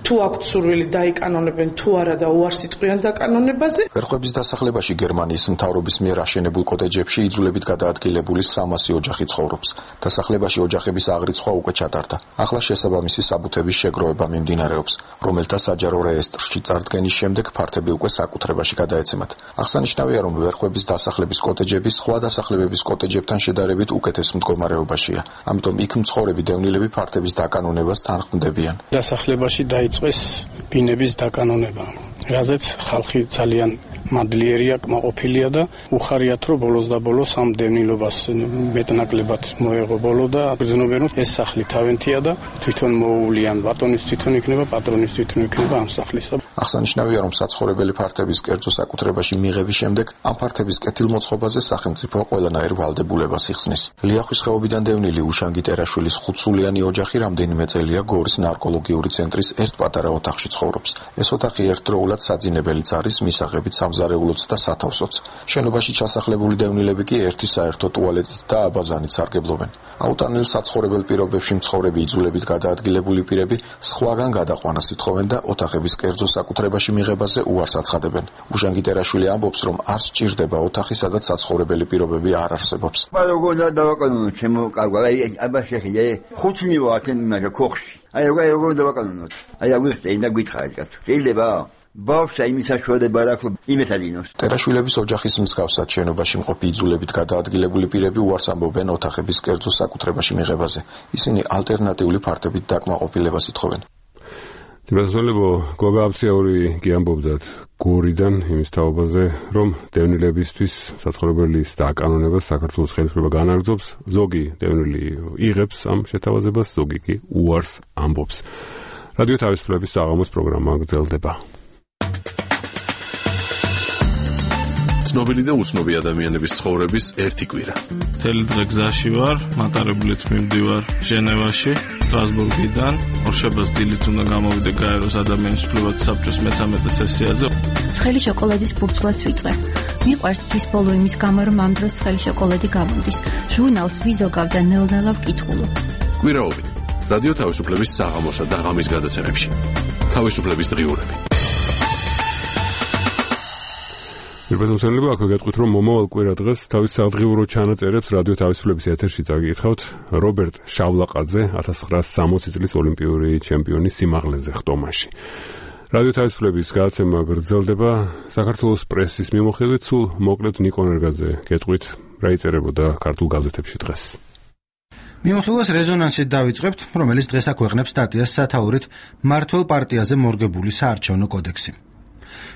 თუ აქვთ სურვილი დაიკანონებენ თუ არა და უარს იტყვიან დაკანონებაზე. ვერხვების დასახლებაში გერმანიის მთავრობის მიერ აშენებულ კოტეჯებში იძულებით გადაადგილებული სამასი ოჯახი ცხოვრობს. დასახლებაში ოჯახების აღრიცხვა უკვე ჩატარდა. ახლა შესაბამისი საბუთების შეგროვება მიმდინარეობს, რომელთა საჯარო რეესტრში წარდგენის შემდეგ ფართები უკვე საკუთრებაში გადაეცემათ. აღსანიშნავია, რომ ვერხვების დასახლების კოტეჯები სხვა დასახლებების კოტეჯებთან შედარებით უკეთეს მდგომარეობაშია. ამიტომ იქ მცხოვრები დევნილები ფართების დაკანონებას თანხმდებიან. დასახლებაში დაიწყეს ბინების დაკანონება, რაზეც ხალხი ძალიან მადლიერია, კმაყოფილია და უხარიათ, რომ ბოლოს და ბოლოს ამ დევნილობას მეტნაკლებად მოეღო ბოლო და გრძნობენ, რომ ეს სახლი თავენთია და თვითონ მოუვლიან, ბატონის თვითონ იქნება, პატრონის თვითონ იქნება ამ სახლისა. აღსანიშნავია, რომ საცხოვრებელი ფართების კერძო საკუთრებაში მიღების შემდეგ ამ ფართების კეთილმოწყობაზე სახელმწიფო ყველანაირ ვალდებულებას იხსნის. ლიახვის ხეობიდან დევნილი უშანგი ტერაშვილის ხუთსულიანი ოჯახი რამდენიმე წელია გორის ნარკოლოგიური ცენტრის ერთ პატარა ოთახში ცხოვრობს. ეს ოთახი ერთდროულად საძინებელიც არის, მისაღებით სამზარეულოც და სათავსოც. შენობაში ჩასახლებული დევნილები კი ერთი საერთო ტუალეტით და აბაზანით სარგებლობენ. აუტანელ საცხოვრებელ პირობებში მცხოვრები იძულებით გადაადგილებული პირები სხვაგან გადაყვანას ითხოვენ და ოთახების კერძო საკუთრებაში მიღებაზე უარს აცხადებენ. უშანგი ტერაშვილი ამბობს, რომ არ სჭირდება ოთახი, სადაც საცხოვრებელი პირობები არ არსებობს. როგორ დავაკანონოთ ჩემო კარგო, აი აბა შეხია, ხუთნი ვართ იმაზე ქოხში. აი როგორ როგორ დავაკანონოთ. აი აგვიხსენ და გითხარით კაცო. შეიძლება? ბავშვს იმის საშუალება არ აქვს იმეს ადინოს. ტერაშვილების ოჯახის მსგავსად შენობაში მყოფი იძულებით გადაადგილებული პირები უარს ამბობენ ოთახების კერძო საკუთრებაში მიღებაზე. ისინი ალტერნატიული ფართებით დაკმაყოფილებას ითხოვენ. თემასოლებო გოგა აფციაური კი ამბობდათ გორიდან იმის თაობაზე, რომ დევნილებისთვის საცხოვრებელის დაკანონებას საქართველოს ხელისუფლება განაგრძობს, ზოგი დევნილი იღებს ამ შეთავაზებას, ზოგი კი უარს ამბობს. რადიო თავისუფლების საღამოს პროგრამა გრძელდება. ცნობილი და უცნობი ადამიანების ცხოვრების ერთი კვირა. მთელი დღე გზაში ვარ, მატარებლით მივდივარ ჟენევაში, სტრასბურგიდან, ორშაბათს დილით უნდა გამოვიდე გაეროს ადამიანის უფლებათა საბჭოს მესამედე სესიაზე. ცხელი შოკოლადის ბურთულას ვიწვე. მიყვარს თვის ბოლო იმის გამო, რომ ამ დროს ცხელი შოკოლადი გამოდის. ჟურნალს ვიზოგავ და ნელ-ნელა ვკითხულობ. კვირაობით რადიო თავისუფლების საღამოსა და ღამის გადაცემებში. თავისუფლების დღიურები. პირველსამსელება აქვე გეტყვით, რომ მომავალ კვირა დღეს თავის სადღიურო ჩანაწერებს რადიო თავისუფლების ეთერში წაგიკითხავთ რობერტ შავლაყაძე ათას ცხრაასი სამოცი წლის ოლიმპიური ჩემპიონის სიმაღლეზე ხტომაში. რადიო თავისუფლების გადაცემა გრძელდება საქართველოს პრესის მიმოხილვით, სულ მოკლედ ნიკო ნერგაძე გეტყვით, რა იწერებოდა ქართულ გაზეთებში დღეს. მიმოხილვას რეზონანსით დავიწყებთ, რომელიც დღეს აქვეყნებს სტატიას სათაურით მმართველ პარტიაზე მორგებული საარჩევნო კოდექსი.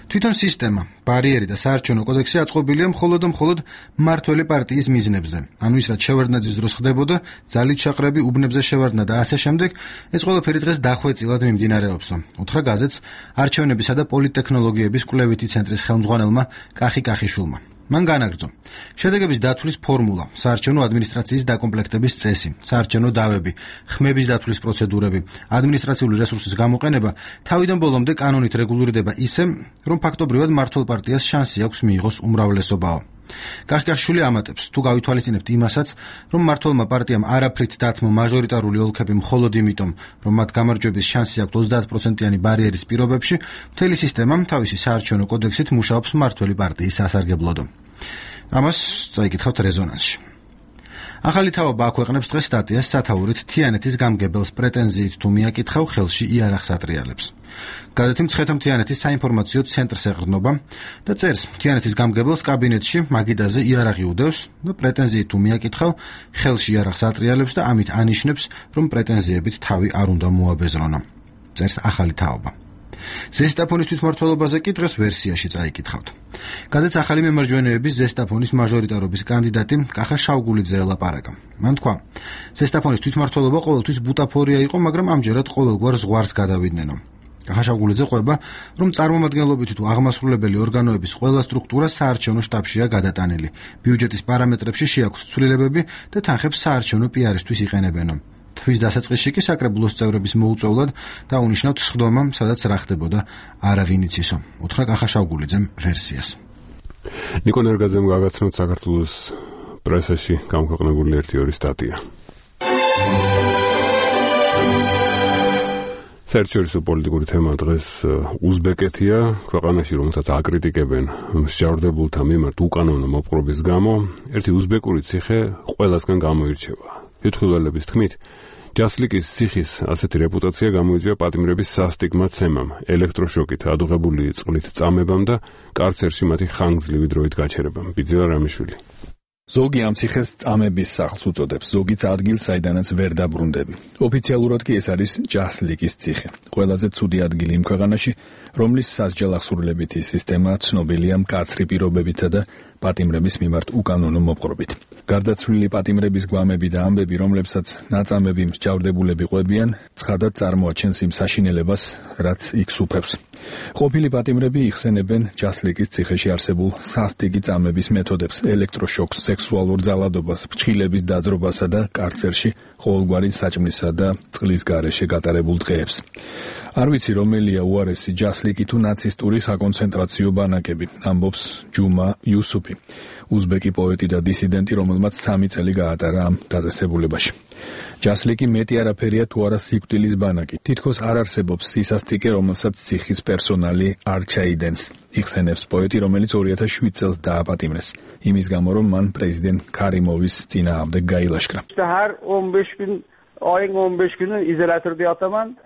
თვითონ სისტემა, ბარიერი და საარჩევნო კოდექსი აწყობილია მხოლოდ და მხოლოდ მმართველი პარტიის მიზნებზე. ანუ ის რაც შევარდნაძის დროს ხდებოდა, ძალით შაყრები, უბნებზე შევარდნა და ასე შემდეგ, ეს ყველაფერი დღეს დახვეწილად მიმდინარეობსო. უთხრა გაზეთს არჩევნებისა და პოლიტტექნოლოგიების კვლევითი ცენტრის ხელმძღვანელმა კახი კახიშვილმა. მან განაგრძო შედეგების დათვლის ფორმულა, საარჩევნო ადმინისტრაციის დაკომპლექტების წესი, საარჩევნო დავები, ხმების დათვლის პროცედურები, ადმინისტრაციული რესურსის გამოყენება თავიდან ბოლომდე კანონით რეგულირდება ისე, რომ ფაქტობრივად მმართველ პარტიას შანსი აქვს მიიღოს უმრავლესობაო. კახკაშვილი ამატებს, თუ გავითვალისწინებთ იმასაც, რომ მმართველმა პარტიამ არაფრით დათმო მაჟორიტარული ოლქები მხოლოდ იმიტომ, რომ მათ გამარჯვების შანსი აქვთ ოცდაათ პროცენტიანი ბარიერის პირობებში, მთელი სისტემა თავისი საარჩევნო კოდექსით მუშაობს მმართველი პარტიის სასარგებლოდო. ამას წაიკითხავთ რეზონანსში. ახალი თავობა აქვეყნებს დღეს სტატიას სათაურით თიანეთის გამგებელს პრეტენზიით თუ მიაკითხავ ხელში იარაღს ატრიალებს. გადათი მცხეთა მთიანეთის საინფორმაციო ცენტრს ეყრდნობა და წერს თიანეთის გამგებელს კაბინეტში მაგიდაზე იარაღი უდევს და პრეტენზიით თუ მიაკითხავ ხელში იარაღს ატრიალებს და ამით ანიშნებს, რომ პრეტენზიებით თავი არ უნდა მოაბეზრონა. წერს ახალი თაობა. ზესტაფონის თვითმმართველობაზე კი დღეს ვერსიაში წაიკითხავთ. გაზეთს ახალი მემარჯვენეების ზესტაფონის მაჟორიტარობის კანდიდატი კახა შავგულიძე ელაპარაკა. მან თქვა, ზესტაფონის თვითმმართველობა ყოველთვის ბუტაფორია იყო, მაგრამ ამჯერად ყოველგვარ ზღვარს გადავიდნენ. კახა შავგულიძე ყვება, რომ წარმომადგენლობითი თუ აღმასრულებელი ორგანოების ყველა სტრუქტურა საარჩევნო შტაბშია გადატანილი. ბიუჯეტის პარამეტრებში შეაქვთ ცვლილებები და თანხებს საარჩევნო პიარისთვის იყენებენ. თვის დასაწყისში კი საკრებულოს წევრების მოუწევლად დაუნიშნავთ სხდომა, სადაც რა ხდებოდა არავინ იცისო. უთხრა კახა შავგულიძემ ვერსიას. ნიკო ნერგაძემ გაგაცნოთ საქართველოს პრესაში გამქვეყნებული ერთი ორი სტატია. საერთაშორისო პოლიტიკური თემა დღეს უზბეკეთია, ქვეყანაში რომელსაც აკრიტიკებენ მსჯავრდებულთა მიმართ უკანონო მოპყრობის გამო, ერთი უზბეკური ციხე ყველასგან გამოირჩევა. თვითმხილველების თქმით, ჯასლიკის ციხის ასეთი რეპუტაცია გამოიწვია პატიმრების სასტიგმო ცემამ, ელექტროშოკით ადუღებული წყლით წამებამ და კარცერში მათი ხანგრძლივი დროით გაჩერებამ. ბიძილა რამიშვილი. ზოგი ამ ციხეს წამების სახლს უწოდებს, ზოგიც ადგილს, საიდანაც ვერ დაბრუნდები. ოფიციალურად კი ეს არის ჯასლიკის ციხე. ყველაზე ცუდი ადგილი იმ ქვეყანაში, რომლის სასჯელ აღსრულებითი სისტემა ცნობილია მკაცრი პირობებითა და პატიმრების მიმართ უკანონო მოპყრობით. გარდაცვლილი პატიმრების გვამები და ამბები, რომლებსაც ნაწამები მსჯავრდებულები ყვებიან, ცხადად წარმოაჩენს იმ საშინელებას, რაც იქ სუფევს. ყოფილი პატიმრები იხსენებენ ჯასლიკის ციხეში არსებულ სასტიკი წამების მეთოდებს, ელექტროშოკს, სექსუალურ ძალადობას, ფრჩხილების დაძრობასა და კარცერში ყოველგვარი საჭმლისა და წყლის გარეშე გატარებულ დღეებს. არ ვიცი, რომელია უარესი ჯასლიკი თუ ნაცისტური საკონცენტრაციო ბანაკები, ამბობს ჯუმა იუსუფი, უზბეკი პოეტი და დისიდენტი, რომელმაც სამი წელი გაატარა ამ დაწესებულებაში. ჯასლიკი მეტი არაფერია თუ არა სიკვდილის ბანაკი. თითქოს არ არსებობს სისასტიკე, რომელსაც ციხის პერსონალი არ ჩაიდენს. იხსენებს პოეტი, რომელიც ორი ათას შვიდ წელს დააპატიმრეს, იმის გამო, რომ მან პრეზიდენტ ქარიმოვის წინააღმდეგ გაილაშქრა.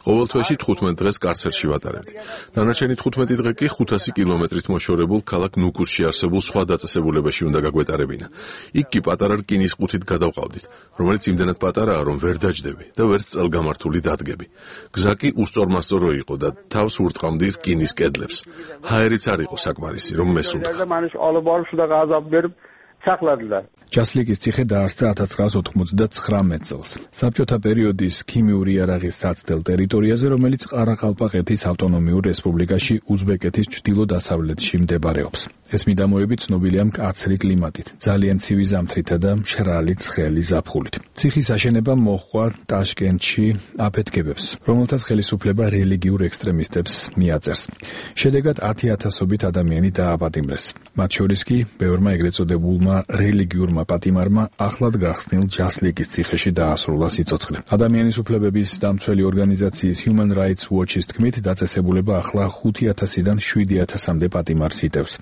ყოველ თვეში თხუთმეტ დღეს კარცერში ვატარებდი. დანარჩენი თხუთმეტი დღე კი ხუთასი კილომეტრით მოშორებულ ქალაქ ნუკუსში არსებულ სხვა დაწესებულებაში უნდა გაგვეტარებინა. იქ კი პატარა რკინის ყუთით გადავყავდით, რომელიც იმდენად პატარაა, რომ ვერ დაჯდები და ვერც წელგამართული დადგები. გზა კი უსწორმასწორო იყო და თავს ურტყამდი რკინის კედლებს. ჰაერიც არ იყო საკმარისი, რომ მესუნთქა. ჯასლიკის ციხე დაარსდა ათას ცხრაას ოთხმოცდათხრამეტ წელს. საბჭოთა პერიოდის ქიმიური იარაღის საცდელ ტერიტორიაზე, რომელიც ყარაყალპაკეთის ავტონომიურ რესპუბლიკაში უზბეკეთის ჩრდილო-დასავლეთში მდებარეობს. ეს მიდამოები ცნობილია მკაცრი კლიმატით, ძალიან ცივი ზამთრითა და მშრალი ცხელი ზაფხულით. ციხის აშენება მოჰყვა ტაშკენტში აფეთქებებს, რომელთაც ხელისუფლება რელიგიურ ექსტრემისტებს მიაწერს. შედეგად ათი ათასობით ადამიანი დააპატიმრეს. მათ შორის კი ბევრმა ეგრეთ წოდებულმა რელიგიურმა პატიმარმა ახლად გახსნილ ჯასლიკის ციხეში დაასრულა სიცოცხლე. ადამიანის უფლებების დამცველი ორგანიზაციის Human Rights Watch-ის თქმით, დაწესებულება ახლა ხუთი ათასიდან შვიდი ათასამდე პატიმარს იტევს.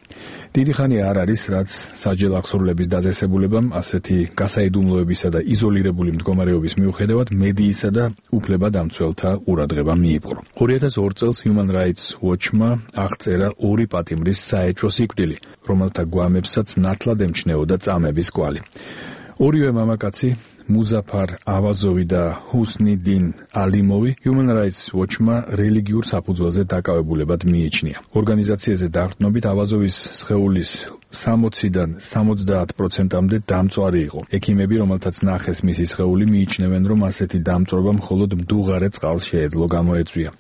დიდი ხანი არ არის, რაც სასჯელ აღსრულების დაწესებულებამ ასეთი გასაიდუმლოებისა და იზოლირებული მდგომარეობის მიუხედავად მედიისა და უფლებადამცველთა ყურადღება მიიპყრო. ორი ათას ორ წელს Human Rights Watch-მა აღწერა ორი პატიმრის საეჭვო სიკვდილი, რომელთა გვამებსაც ნათლად ემჩნეოდა წამების კვალი. ორივე მამაკაცი, მუზაფარ ავაზოვი და ჰუსნიდინ ალიმოვი, Human Rights Watch-მა რელიგიურ საფუძველზე დაკავებულებად მიიჩნია. ორგანიზაციაზე დაყრდნობით ავაზოვის სხეულის სამოციდან სამოცდაათ პროცენტამდე დამწვარი იყო. ექიმები, რომელთაც ნახეს მისი სხეული, მიიჩნევენ, რომ ასეთი დამწვრობა მხოლოდ მდუღარე წყალს შეეძლო გამოეწვია.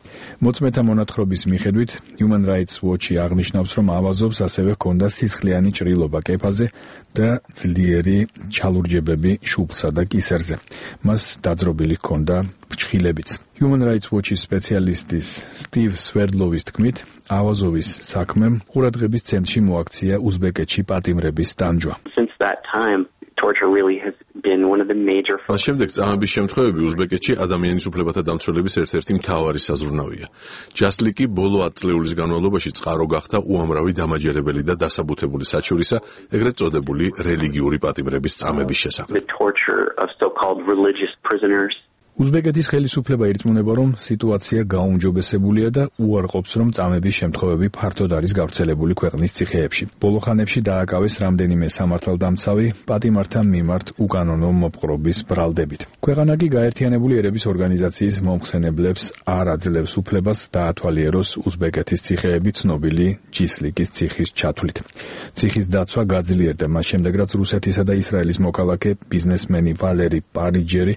მოწმეთა მონათხრობის მიხედვით, Human Rights Watch-ი აღნიშნავს, რომ ავაზობს ასევე ჰქონდა სისხლიანი ჭრილობა კეფაზე და ძლიერი ჩალურჯებები შუბლსა და კისერზე. მას დაძრობილი ჰქონდა ფრჩხილებიც. Human Rights Watch-ის სპეციალისტის სტივ სვერდლოვის თქმით, ავაზოვის საქმემ ყურადღების ცენტრში მოაქცია უზბეკეთში პატიმრების ტანჯვა. Since that time, torture really has been one of the major მას შემდეგ წამების შემთხვევები უზბეკეთში ადამიანის უფლებათა დამცველების ერთ-ერთი მთავარი საზრუნავია. ჯასლიკი ბოლო ათ წლეულის განმავლობაში წყარო გახდა უამრავი დამაჯერებელი და დასაბუთებული საჩივრისა, ეგრეთ წოდებული რელიგიური პატიმრების წამების შესახებ. The torture of so-called religious prisoners. უზბეკეთის ხელისუფლება ირწმუნება, რომ სიტუაცია გაუმჯობესებულია და უარყოფს, რომ წამების შემთხვევები ფართოდ არის გავრცელებული ქვეყნის ციხეებში. ბოლო ხანებში დააკავეს რამდენიმე სამართალდამცავი პატიმართა მიმართ უკანონო მოპყრობის ბრალდებით. ქვეყანა კი გაერთიანებული ერების ორგანიზაციის მომხსენებლებს არ აძლევს უფლებას დაათვალიეროს უზბეკეთის ციხეები ცნობილი ჯისლიკის ციხის ჩათვლით. ციხის დაცვა გაძლიერდა მას შემდეგ, რაც რუსეთისა და ისრაელის მოქალაქე ბიზნესმენი ვალერი პარიჯერი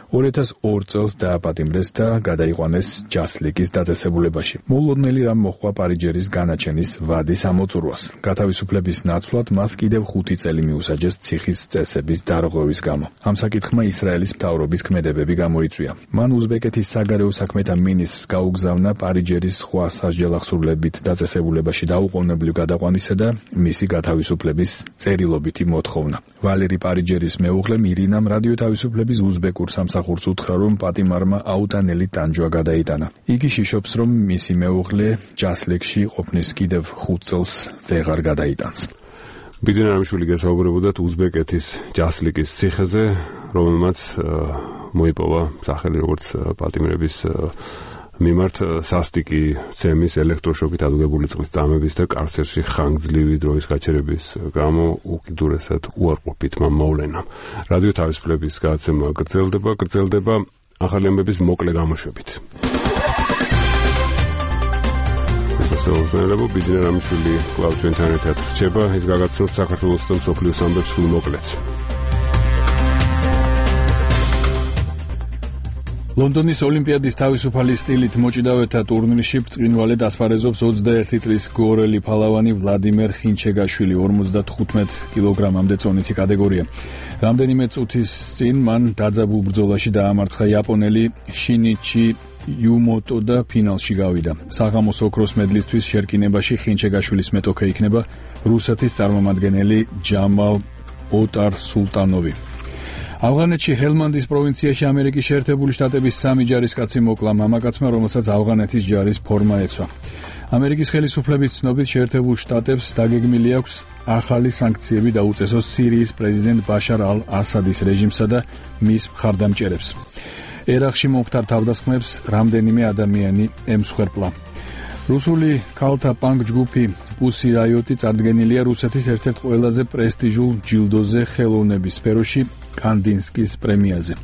ორი ათას ორ წელს დააპატიმრეს და გადაიყვანეს ჯასლიკის დაწესებულებაში. მოულოდნელი რამ მოჰყვა პარიჯერის განაჩენის ვადის ამოწურვას. გათავისუფლების ნაცვლად მას კიდევ ხუთი წელი მიუსაჯეს ციხის წესების დარღვევის გამო. ამ საკითხმა ისრაელის მთავრობის ქმედებები გამოიწვია. მან უზბეკეთის საგარეო საქმეთა მინისტრს გაუგზავნა პარიჯერის სხვა სასჯელახსოვრებით დაწესებულებაში დაუყოვნებლივ გადაყვანისა და მისი გათავისუფლების წერილობითი მოთხოვნა. ვალერი პარიჯერის მეუღლე მირინამ რადიო თავისუფლების უზბეკურ სამსახურს უთხრა, რომ პატიმარმა აუტანელი ტანჯვა გადაიტანა. იგი შიშობს, რომ მისი მეუღლე ჯასლიკში ყოფნის კიდევ ხუთ წელს ვეღარ გადაიტანს. ბიძინა რამიშვილი გესაუბრებოდათ უზბეკეთის ჯასლიკის ციხეზე, რომელმაც მოიპოვა სახელი როგორც პატიმრების მიმართ სასტიკი ცემის, ელექტროშოკით ადუგებული წყლის წამების და კარცერში ხანგრძლივი დროის გაჩერების გამო უკიდურესად უარყოფითმა მოვლენამ. რადიო თავისუფლების გადაცემა გრძელდება, გრძელდება ახალი ამბების მოკლე გამოშვებით. ესაა ბიძინა რამიშვილი კვლავ ჩვენთან ერთად რჩება, ის გაგაცნობს საქართველოს და მსოფლიოს ამბებს სულ მოკლედ. ლონდონის ოლიმპიადის თავისუფალი სტილით მოჭიდავეთა ტურნირში ბრწყინვალედ ასპარეზობს ოცდაერთი წლის გორელი ფალავანი ვლადიმერ ხინჩეგაშვილი ორმოცდათხუთმეტ კილოგრამამდე წონითი კატეგორია. რამდენიმე წუთის წინ მან დაძაბულ ბრძოლაში დაამარცხა იაპონელი შინიჩი იუმოტო და ფინალში გავიდა. საღამოს ოქროს მედლისთვის შერკინებაში ხინჩეგაშვილის მეტოქე იქნება რუსეთის წარმომადგენელი ჯამალ ოტარ-სულტანოვი. ავღანეთში ჰელმანდის პროვინციაში ამერიკის შეერთებული შტატების სამი ჯარისკაცი მოკლა მამაკაცმა, რომელსაც ავღანეთის ჯარის ფორმა ეცვა. ამერიკის ხელისუფლების ცნობით შეერთებულ შტატებს დაგეგმილი აქვს ახალი სანქციები დაუწესოს სირიის პრეზიდენტ ბაშარ ალ-ასადის რეჟიმსა და მის მხარდამჭერებს. ერაყში მომხდარ თავდასხმებს რამდენიმე ადამიანი ემსხვერპლა. რუსული ქალთა პანკ ჯგუფი პუსი რაიოტი წარდგენილია რუსეთის ერთ-ერთ ყველაზე პრესტიჟულ ჯილდოზე ხელოვნების სფეროში კანდინსკის პრემიაზე.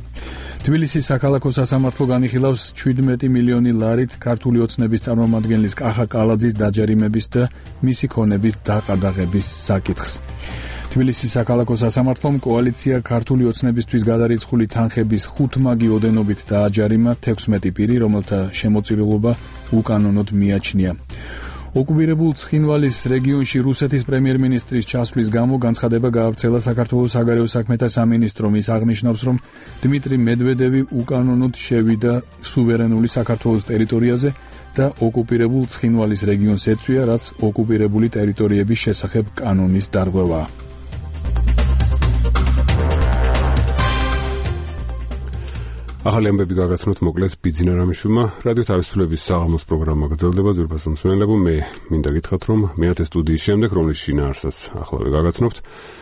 თბილისის საქალაქო სასამართლო განიხილავს შვიდმეტი მილიონი ლარით ქართული ოცნების წარმომადგენლის კახა კალაძის დაჯერიმების და მისი ქონების დაყადაღების საკითხს. თბილისის საქალაქო სასამართლომ კოალიცია ქართული ოცნებისთვის გადარიცხული თანხების ხუთმაგი ოდენობით დააჯერიმა თექვსმეტი პირი, რომელთა შემოწირულობა უკანონოდ მიაჩნია. ოკუპირებულ ცხინვალის რეგიონში რუსეთის პრემიერ-მინისტრის ჩასვლის გამო განცხადება გაავრცელა საქართველოს საგარეო საქმეთა სამინისტრომ. ის აღნიშნავს, რომ დმიტრი მედვედევი უკანონოდ შევიდა სუვერენული საქართველოს ტერიტორიაზე და ოკუპირებულ ცხინვალის რეგიონს ეწვია, რაც ოკუპირებული ტერიტორიების შესახებ კანონის დარღვევაა. ახალი ამბები გაგაცნოთ მოკლედ ბიძინა რამიშვილმა. რადიო თავისუფლების საღამოს პროგრამა გრძელდება. ძვირფას მსმენელებო, მე მინდა გითხრათ, რომ მეათე სტუდიის შემდეგ, რომლის შინაარსაც ახლავე გაგაცნობთ,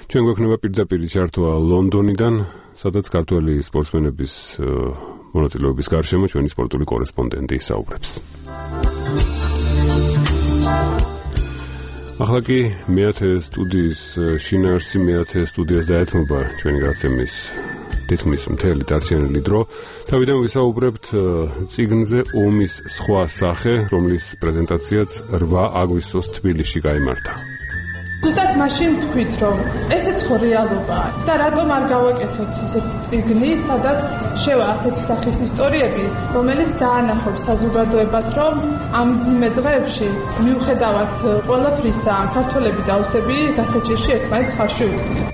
ჩვენ გვექნება პირდაპირ ჩართვა ლონდონიდან, სადაც ქართველი სპორტსმენების მონაწილეობის გარშემო ჩვენი სპორტული კორესპონდენტი ისაუბრებს. ახლა კი მეათე სტუდიის შინაარსი მეათე სტუდიას დაეთმობა ჩვენი გადაცემის თითქმის მთელი დარჩენილი დრო. თავიდან ვისაუბრებთ წიგნზე ომის სხვა სახე, რომლის პრეზენტაციაც რვა აგვისტოს თბილისში გაიმართა. ზუსტად მაშინ თქვით, რომ ესეც ხო რეალობაა და რატომ არ გავაკეთოთ ისეთი წიგნი, სადაც შევა ასეთი სახის ისტორიები, რომელიც დაანახობს საზოგადოებას, რომ ამ მძიმე დღეებში მიუხედავად ყველაფრისა, ქართველები და ოსები გასაჭირში ერთმანეთს ხარში უდგნენ.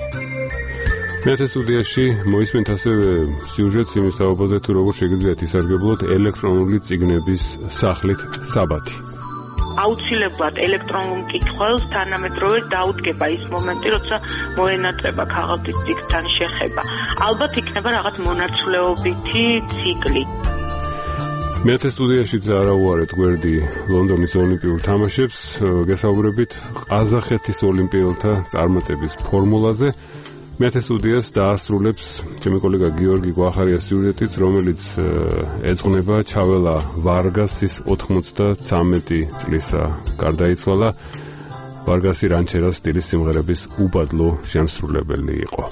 მეათე სტუდიაში მოისმენთ ასევე სიუჟეტს იმის თაობაზე, თუ როგორ შეგიძლიათ ისარგებლოთ ელექტრონული წიგნების სახლით საბათი. აუცილებლად ელექტრონულ მკითხველს თანამედროვე დაუდგება ის მომენტი, როცა მოენატრება ქაღალდის წიგნთან შეხება. ალბათ იქნება რაღაც მონაცვლეობითი ციკლი. მეათე სტუდიაში ზარაუარეთ გვერდი ლონდონის ოლიმპიურ თამაშებს, გესაუბრებით ყაზახეთის ოლიმპიელთა წარმატების ფორმულაზე. მეათე სტუდიას დაასრულებს ჩემი კოლეგა გიორგი გვახარიას სიუჟეტიც, რომელიც ეძღვნება ჩაველა ვარგასის ოთხმოცდათრამეტი წლისა გარდაიცვალა. ვარგასი რანჩერას სტილის სიმღერების უბადლო შემსრულებელი იყო.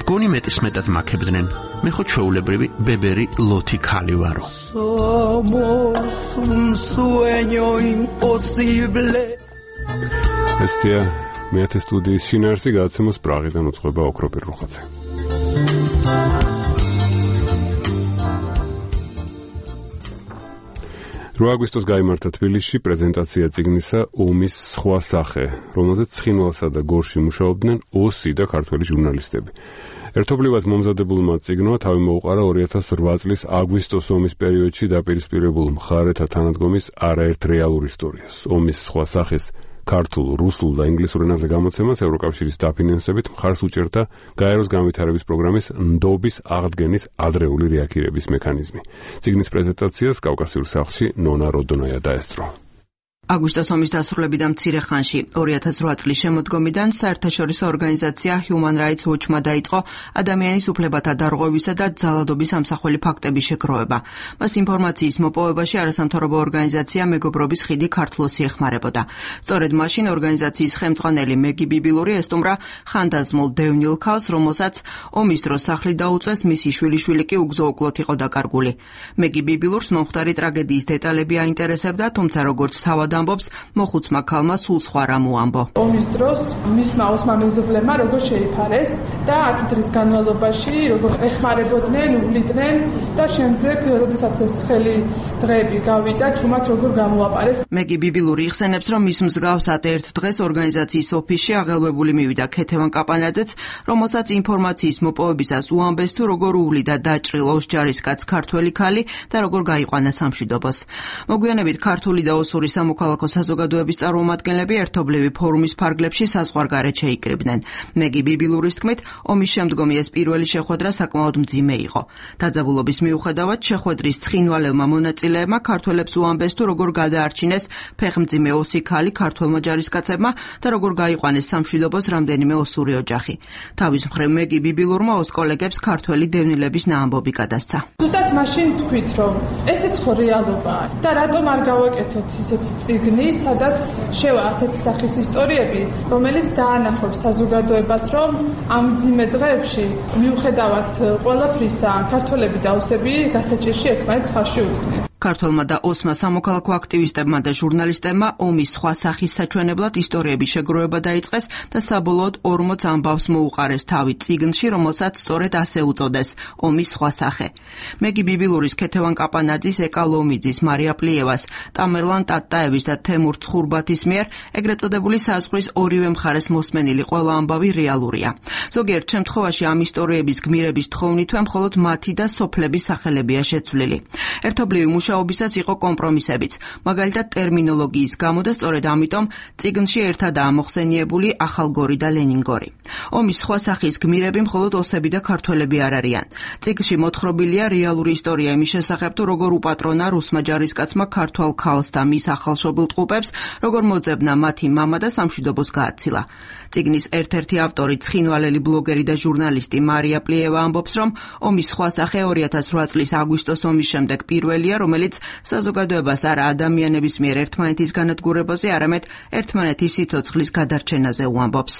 მგონი მეტისმეტად მაქებდნენ. მე ხო ჩვეულებრივი ბებერი ლოთი ქალი ვარო. ესთია მეათე სტუდიის შინაარსი გადაცემას პრაღიდან უძღვება ოქროპირ რუხაძე. რვა აგვისტოს გაიმართა თბილისში პრეზენტაცია წიგნისა ომის სხვა სახე, რომელზეც ცხინვალსა და გორში მუშაობდნენ ოსი და ქართველი ჟურნალისტები. ერთობლივად მომზადებულმა წიგნმა თავი მოუყარა ორი ათას რვა წლის აგვისტოს ომის პერიოდში დაპირისპირებულ მხარეთა თანადგომის არაერთ რეალურ ისტორიას. ომის სხვა სახეს ქართულ, რუსულ და ინგლისურ ენაზე გამოცემას ევროკავშირის დაფინანსებით მხარს უჭერდა გაეროს განვითარების პროგრამის ნდობის აღდგენის ადრეული რეაქირების მექანიზმი. წიგნის პრეზენტაციას კავკასიურ სახლში ნონა როდონოია დაესწრო. აგვისტოს ომის დასრულებიდან მცირე ხანში ორი ათას რვა წლის შემოდგომიდან საერთაშორისო ორგანიზაცია Human Rights Watch-მა დაიწყო ადამიანის უფლებათა დარღვევისა და ძალადობის ამსახველი ფაქტების შეგროვება. მას ინფორმაციის მოპოვებაში არასამთავრობო ორგანიზაცია მეგობრობის ხიდი ქართლოსი ეხმარებოდა. სწორედ მაშინ ორგანიზაციის ხელმძღვანელი მეგი ბიბილური ესტუმრა ხანდაზმულ დევნილ ქალს, რომელსაც ომის დროს სახლი დაუწეს, მისი შვილიშვილი კი უგზო-უკლოდ იყო დაკარგული. მეგი ბიბილურს მომხდარი ტრაგედიის დეტალები აინტერესებდა, თუმცა როგორც თავად ამბობს, მოხუცმა ქალმა სულ სხვა რამ უამბო. ომის დროს მისმა ოსმა მეზობლებმა როგორ შეიფარეს და ათი დღის განმავლობაში როგორ ეხმარებოდნენ, უვლიდნენ და შემდეგ, როდესაც ეს ცხელი დღეები გავიდა, ჩუმად როგორ გამოაპარეს. მეგი ბიბილური იხსენებს, რომ მის მსგავსად ერთ დღეს ორგანიზაციის ოფისში აღელვებული მივიდა ქეთევან კაპანაძეც, რომელსაც ინფორმაციის მოპოვებისას უამბეს, თუ როგორ უვლიდა დაჭრილ ოსჯარისკაც ქართველი ქალი და როგორ გაიყვანა სამშვიდობოს. მოგვიანებით ქართული და ოსური სამოქალაქო საზოგადოების წარმომადგენლები ერთობლივი ფორუმის ფარგლებში საზღვარგარეთ შეიკრიბნენ. მეგი ბიბილურის თქმით, ომის შემდგომი ეს პირველი შეხვედრა საკმაოდ მძიმე იყო. დაძაბულობის მიუხედავად შეხვედრის ცხინვალელმა მონაწილეებმა ქართველებს უამბეს, თუ როგორ გადაარჩინეს ფეხმძიმე ოსი ქალი ქართველმა ჯარისკაცებმა და როგორ გაიყვანეს სამშვიდობოს რამდენიმე ოსური ოჯახი. თავის მხრივ მეგი ბიბილურმა ოს კოლეგებს ქართველი დევნილების ნაამბობი გადასცა. ზუსტად მაშინ თქვით, რომ ესეც ხო რეალობაა და რატომ არ გავაკეთოთ ისეთი წიგნი, სადაც შევა ასეთი სახის ისტორიები, რომელიც დაანახობს საზოგადოებას, რომ ამ მძიმე დღეებში მიუხედავად ყველაფრისა, ქართველები და ოსები გასაჭირში ერთმანეთს ხარში უდგნენ. ქართველმა და ოსმა სამოქალაქო აქტივისტებმა და ჟურნალისტებმა ომის სხვა სახის საჩვენებლად ისტორიების შეგროვება დაიწყეს და საბოლოოდ ორმოც ამბავს მოუყარეს თავი წიგნში, რომელსაც სწორედ ასე უწოდეს ომის სხვა სახე. მეგი ბიბილურის, ქეთევან კაპანაძის, ეკა ლომიძის, მარია პლიევას, ტამერლან ტატაევის და თემურ ცხურბათის მიერ ეგრეთ წოდებული საზღვრის ორივე მხარეს მოსმენილი ყველა ამბავი რეალურია. ზოგიერთ შემთხვევაში ამ ისტორიების გმირების თხოვნითვე მხოლოდ მათი და სოფლების სახელებია შეცვლილი. ერთობლივი მუშაობისაც იყო კომპრომისებიც, მაგალითად ტერმინოლოგიის გამო და სწორედ ამიტომ წიგნში ერთადაა მოხსენიებული ახალგორი და ლენინგორი. ომის სხვა სახის გმირები მხოლოდ ოსები და ქართველები არ არიან. წიგნში მოთხრობილია რეალური ისტორია იმის შესახებ, თუ როგორ უპატრონა რუსმა ჯარისკაცმა ქართველ ქალს და მის ახალშობილ ტყუპებს, როგორ მოძებნა მათი მამა და სამშვიდობოს გააცილა. წიგნის ერთ-ერთი ავტორი, ცხინვალელი ბლოგერი და ჟურნალისტი მარია პლიევა ამბობს, რომ ომის სხვა სახე ორი ათას რვა წლის აგვისტოს ომის შემდეგ პირველია, რომელიც საზოგადოებას არა ადამიანების მიერ ერთმანეთის განადგურებაზე, არამედ ერთმანეთის სიცოცხლის გადარჩენაზე უამბობს.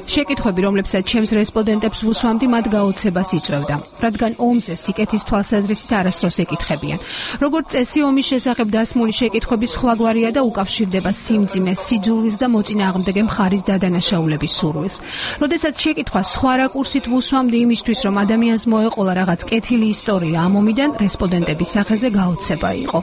შეკითხვები, რომლებსაც ჩემს რესპონდენტებს ვუსვამდი, მათ გაოცებას იწვევდა, რადგან ომზე სიკეთის თვალსაზრისით არასდროს ეკითხებიან. როგორც წესი, ომის შესახებ დასმული შეკითხვები სხვაგვარია და უკავშირდება სიმძიმეს, სიძულვილს და მოწინააღმდეგე მხარის დადანაშაულების სურვილს. როდესაც შეკითხვა სხვა რაკურსით ვუსვამდი იმისთვის, რომ ადამიანს მოეყოლა რაღაც კეთილი ისტორია ამ ომიდან, რესპონდენტების სახეზე გაოცება იყო.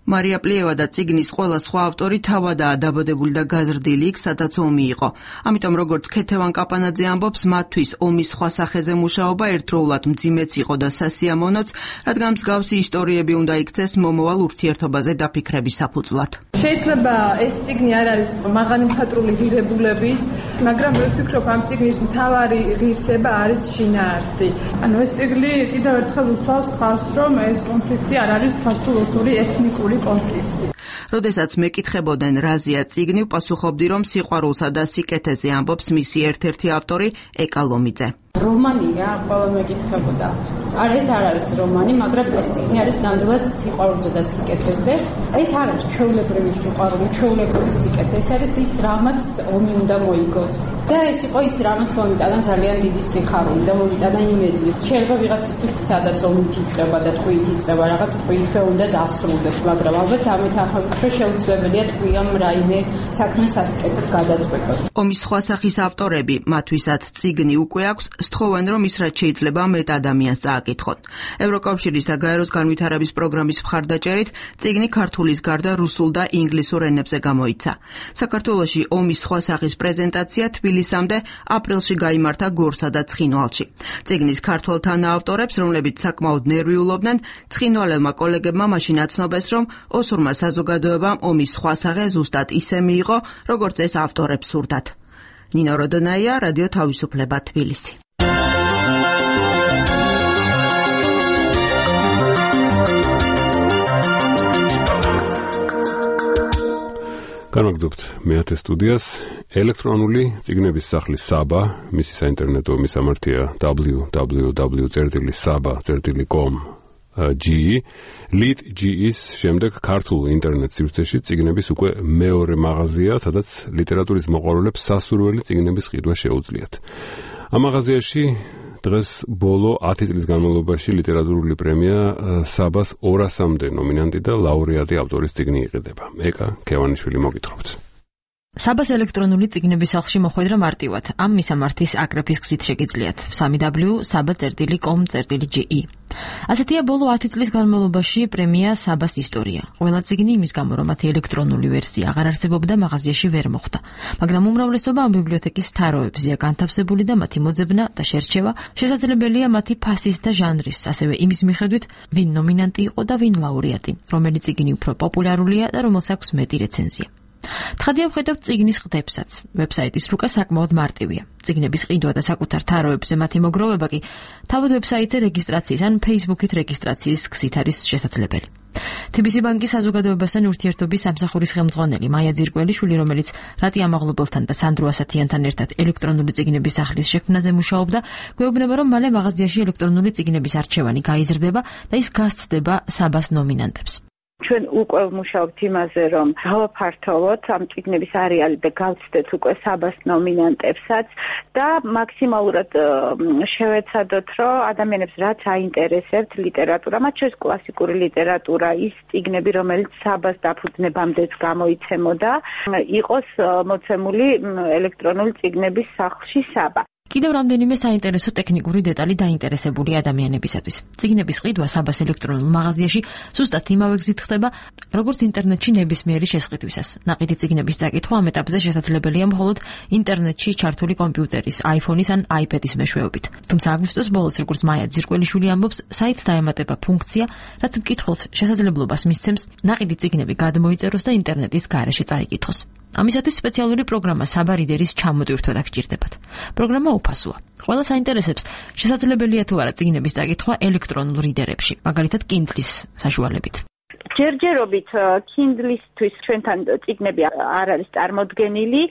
მარია პლიევა და წიგნის ყველა სხვა ავტორი თავადაა დაბადებული და გაზრდილი იქ, სადაც ომი იყო. ამიტომ როგორც ქეთევან კაპანაძე ამბობს, მათთვის ომის სხვა სახეზე მუშაობა ერთდროულად მძიმეც იყო და სასიამოვნოც, რადგან მსგავსი ისტორიები უნდა იქცეს მომავალ ურთიერთობაზე დაფიქრების საფუძვლად. შეიძლება ეს წიგნი არ არის მაღალი მხატვრული ღირებულების, მაგრამ მე ვფიქრობ, ამ წიგნის მთავარი ღირსება არის შინაარსი. ანუ ეს წიგნი კიდევ ერთხელ უსვამს ხაზს, რომ ეს კონფლიქტი არ არის ქართულ-ოსური ეთნიკური კონფლიქტი. როდესაც მეკითხებოდნენ რაზეა წიგნი, პასუხობდი, რომ სიყვარულსა და სიკეთეზე ამბობს მისი ერთ-ერთი ავტორი ეკა ლომიძე. რომანია, ყველა მეკითხებოდა. არა, ეს არ არის რომანი, მაგრამ ეს წიგნი არის ნამდვილად სიყვარულზე და სიკეთეზე. ეს არ არის ჩვეულებრივი სიყვარული, ჩვეულებრივი სიკეთე. ეს არის ის, რამაც ომი უნდა მოიგოს. და ეს იყო ის, რამაც მომიტანა ძალიან დიდი სიხარული და მომიტანა იმედი. შეიძლება ვიღაცისთვის სადაც ომი იწყება და ტყვიით იწყება, რაღაც ტყვიითვე უნდა დასრულდეს, მაგრამ ალბათ ამით ახალგაზრდა შეუძლებელია ტყვიამ რაიმე საქმეს ასკეთად გადაწყვეტოს. ომის სხვა სახის ავტორები, მათთვისაც წიგნი უკვე აქვს, სთხოვენ, რომ ის რაც შეიძლება მეტ ადამიანს წააკითხონ. ევროკავშირის და გაეროს განვითარების პროგრამის მხარდაჭერით წიგნი ქართულის გარდა რუსულ და ინგლისურ ენებზე გამოიცა. საქართველოში ომის სხვა სახის პრეზენტაცია თბილისამდე აპრილში გაიმართა გორსა და ცხინვალში. წიგნის ქართველ თანაავტორებს, რომლებიც საკმაოდ ნერვიულობდნენ, ცხინვალელმა კოლეგებმა მაშინ აცნობეს, რომ ოსურმა საზოგადოებამ ომის სხვა სახე ზუსტად ისე მიიღო, როგორც ეს ავტორებს სურდათ. ნინო როდონაია, რადიო თავისუფლება, თბილისი. განვაგრძობთ მეათე სტუდიას. ელექტრონული წიგნების სახლის საბა, მისი საინტერნეტო მისამართია double-u double-u double-u წერტილი საბა წერტილი com G, Lead G-ის შემდეგ ქართულ ინტერნეტ სივრცეში წიგნების უკვე მეორე მაღაზია, სადაც ლიტერატურის მოყვარულებს სასურველი წიგნების ყიდვა შეუძლიათ. ამ მაღაზიაში დღეს ბოლო ათი წლის განმავლობაში ლიტერატურული პრემია საბას ორასამდე ნომინანტი და ლაურეატი ავტორის წიგნი იყიდება. ეკა ქევანიშვილი მოგითხრობთ. საბას ელექტრონული წიგნების სახლში მოხვედრა მარტივად. ამ მისამართის აკრეფის გზით შეგიძლიათ. double-u double-u double-u saba წერტილი com წერტილი ge. ასეთია ბოლო ათი წლის განმავლობაში პრემია საბას ისტორია. ყველა წიგნი იმის გამო, რომ მათი ელექტრონული ვერსია აღარ არსებობდა, მაღაზიაში ვერ მოხვდა. მაგრამ უმრავლესობა ამ ბიბლიოთეკის თაროებზეა განთავსებული და მათი მოძებნა და შერჩევა შესაძლებელია მათი ფასის და ჟანრის, ასევე იმის მიხედვით, ვინ ნომინანტი იყო და ვინ ლაურეატი, რომელი წიგნი უფრო პოპულარულია და რომელს აქვს მეტი რეცენზია. ცხადია ვხედავთ წიგნის ყდებსაც. ვებსაიტის რუკა საკმაოდ მარტივია. წიგნების ყიდვა და საკუთარ თაროებზე მათი მოგროვება კი თავად ვებსაიტზე რეგისტრაციის ან Facebook-ით რეგისტრაციის გზით არის შესაძლებელი. თი ბი სი ბანკის საზოგადოებასთან ურთიერთობის სამსახურის ხელმძღვანელი მაია ძირკველიშვილი, რომელიც რატი ამაღლობელთან და სანდრო ასათიანთან ერთად ელექტრონული წიგნების სახლის შექმნაზე მუშაობდა, გვეუბნება, რომ მალე მაღაზიაში ელექტრონული წიგნების არჩევანი გაიზრდება და ის გასცდება საბას ნომინანტებს. ჩვენ უკვე ვმუშაობთ იმაზე, რომ გავაფართოვოთ ამ წიგნების არეალი და გავცდეთ უკვე საბას ნომინანტებსაც და მაქსიმალურად შევეცადოთ, რომ ადამიანებს რაც აინტერესებთ ლიტერატურა, მათ შორის კლასიკური ლიტერატურა, ის წიგნები, რომელიც საბას დაფუძნებამდეც გამოიცემოდა, იყოს მოცემული ელექტრონული წიგნების სახლში საბა. კიდევ რამდენიმე საინტერესო ტექნიკური დეტალი დაინტერესებული ადამიანებისათვის. წიგნების ყიდვა საბას ელექტრონულ მაღაზიაში ზუსტად იმავე გზით ხდება, როგორც ინტერნეტში ნებისმიერი შესყიდვისას. ნაყიდი წიგნების წაკითხვა ამ ეტაპზე შესაძლებელია მხოლოდ ინტერნეტში ჩართული კომპიუტერის, iPhone-ის ან iPad-ის მეშვეობით. თუმცა აგვისტოს ბოლოს, როგორც მაია ძირკველიშვილი ამბობს, საიტს დაემატება ფუნქცია, რაც მკითხველს შესაძლებლობას მისცემს ნაყიდი წიგნები გადმოიწეროს და ინტერნეტის გარეშე წაიკითხოს. ამისათვის სპეციალური პროგრამა საბა რიდერის ჩამოტვირთვა დაგჭირდებათ. პროგრამა უფასოა. ყველას აინტერესებს, შესაძლებელია თუ არა წიგნების წაკითხვა ელექტრონულ რიდერებში, მაგალითად Kindle-ის საშუალებით. ჯერჯერობით Kindle-ისთვის ჩვენთან წიგნები არ არის წარმოდგენილი,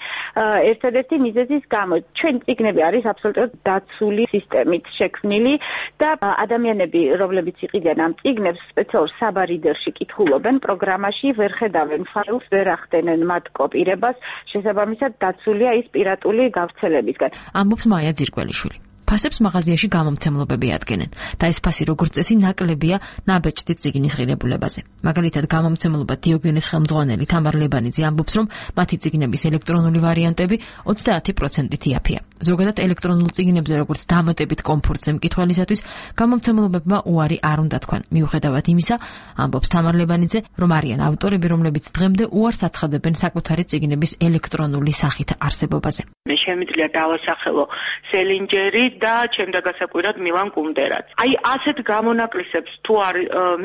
ერთადერთი მიზეზის გამო. ჩვენ წიგნები არის აბსოლუტურად დაცული სისტემით შექმნილი და ადამიანები, რომლებიც იყიდენ ამ წიგნებს, სპეციალურ საბარიდერში კითხულობენ პროგრამაში, ვერ ხედავენ ფაილს, ვერ ახდენენ მათ კოპირებას, შესაბამისად დაცულია ის პირატული გავრცელებისგან. ამბობს მაია ძირკველიშვილი. ფასებს მაღაზიაში გამომცემლობები ადგენენ და ეს ფასი როგორც წესი ნაკლებია ნაბეჭდი წიგნის ღირებულებაზე. მაგალითად, გამომცემლობა დიოგენეს ხელმძღვანელი თამარ ლებანიძე ამბობს, რომ მათი წიგნების ელექტრონული ვარიანტები ოცდაათი პროცენტით იაფია. ზოგადად ელექტრონულ წიგნებზე როგორც დამატებით კომფორტზე მკითხველისათვის გამომცემლობებმა უარი არ უნდა თქვან. მიუხედავად იმისა, ამბობს თამარ ლებანიძე, რომ არიან ავტორები, რომლებიც დღემდე უარს აცხადებენ საკუთარი წიგნების ელექტრონული სახით არსებობაზე. მე შემიძლია დავასახელო სელინჯერი და ჩემდა გასაკვირად მილან კუნდერაც. აი ასეთ გამონაკლისებს თუ არ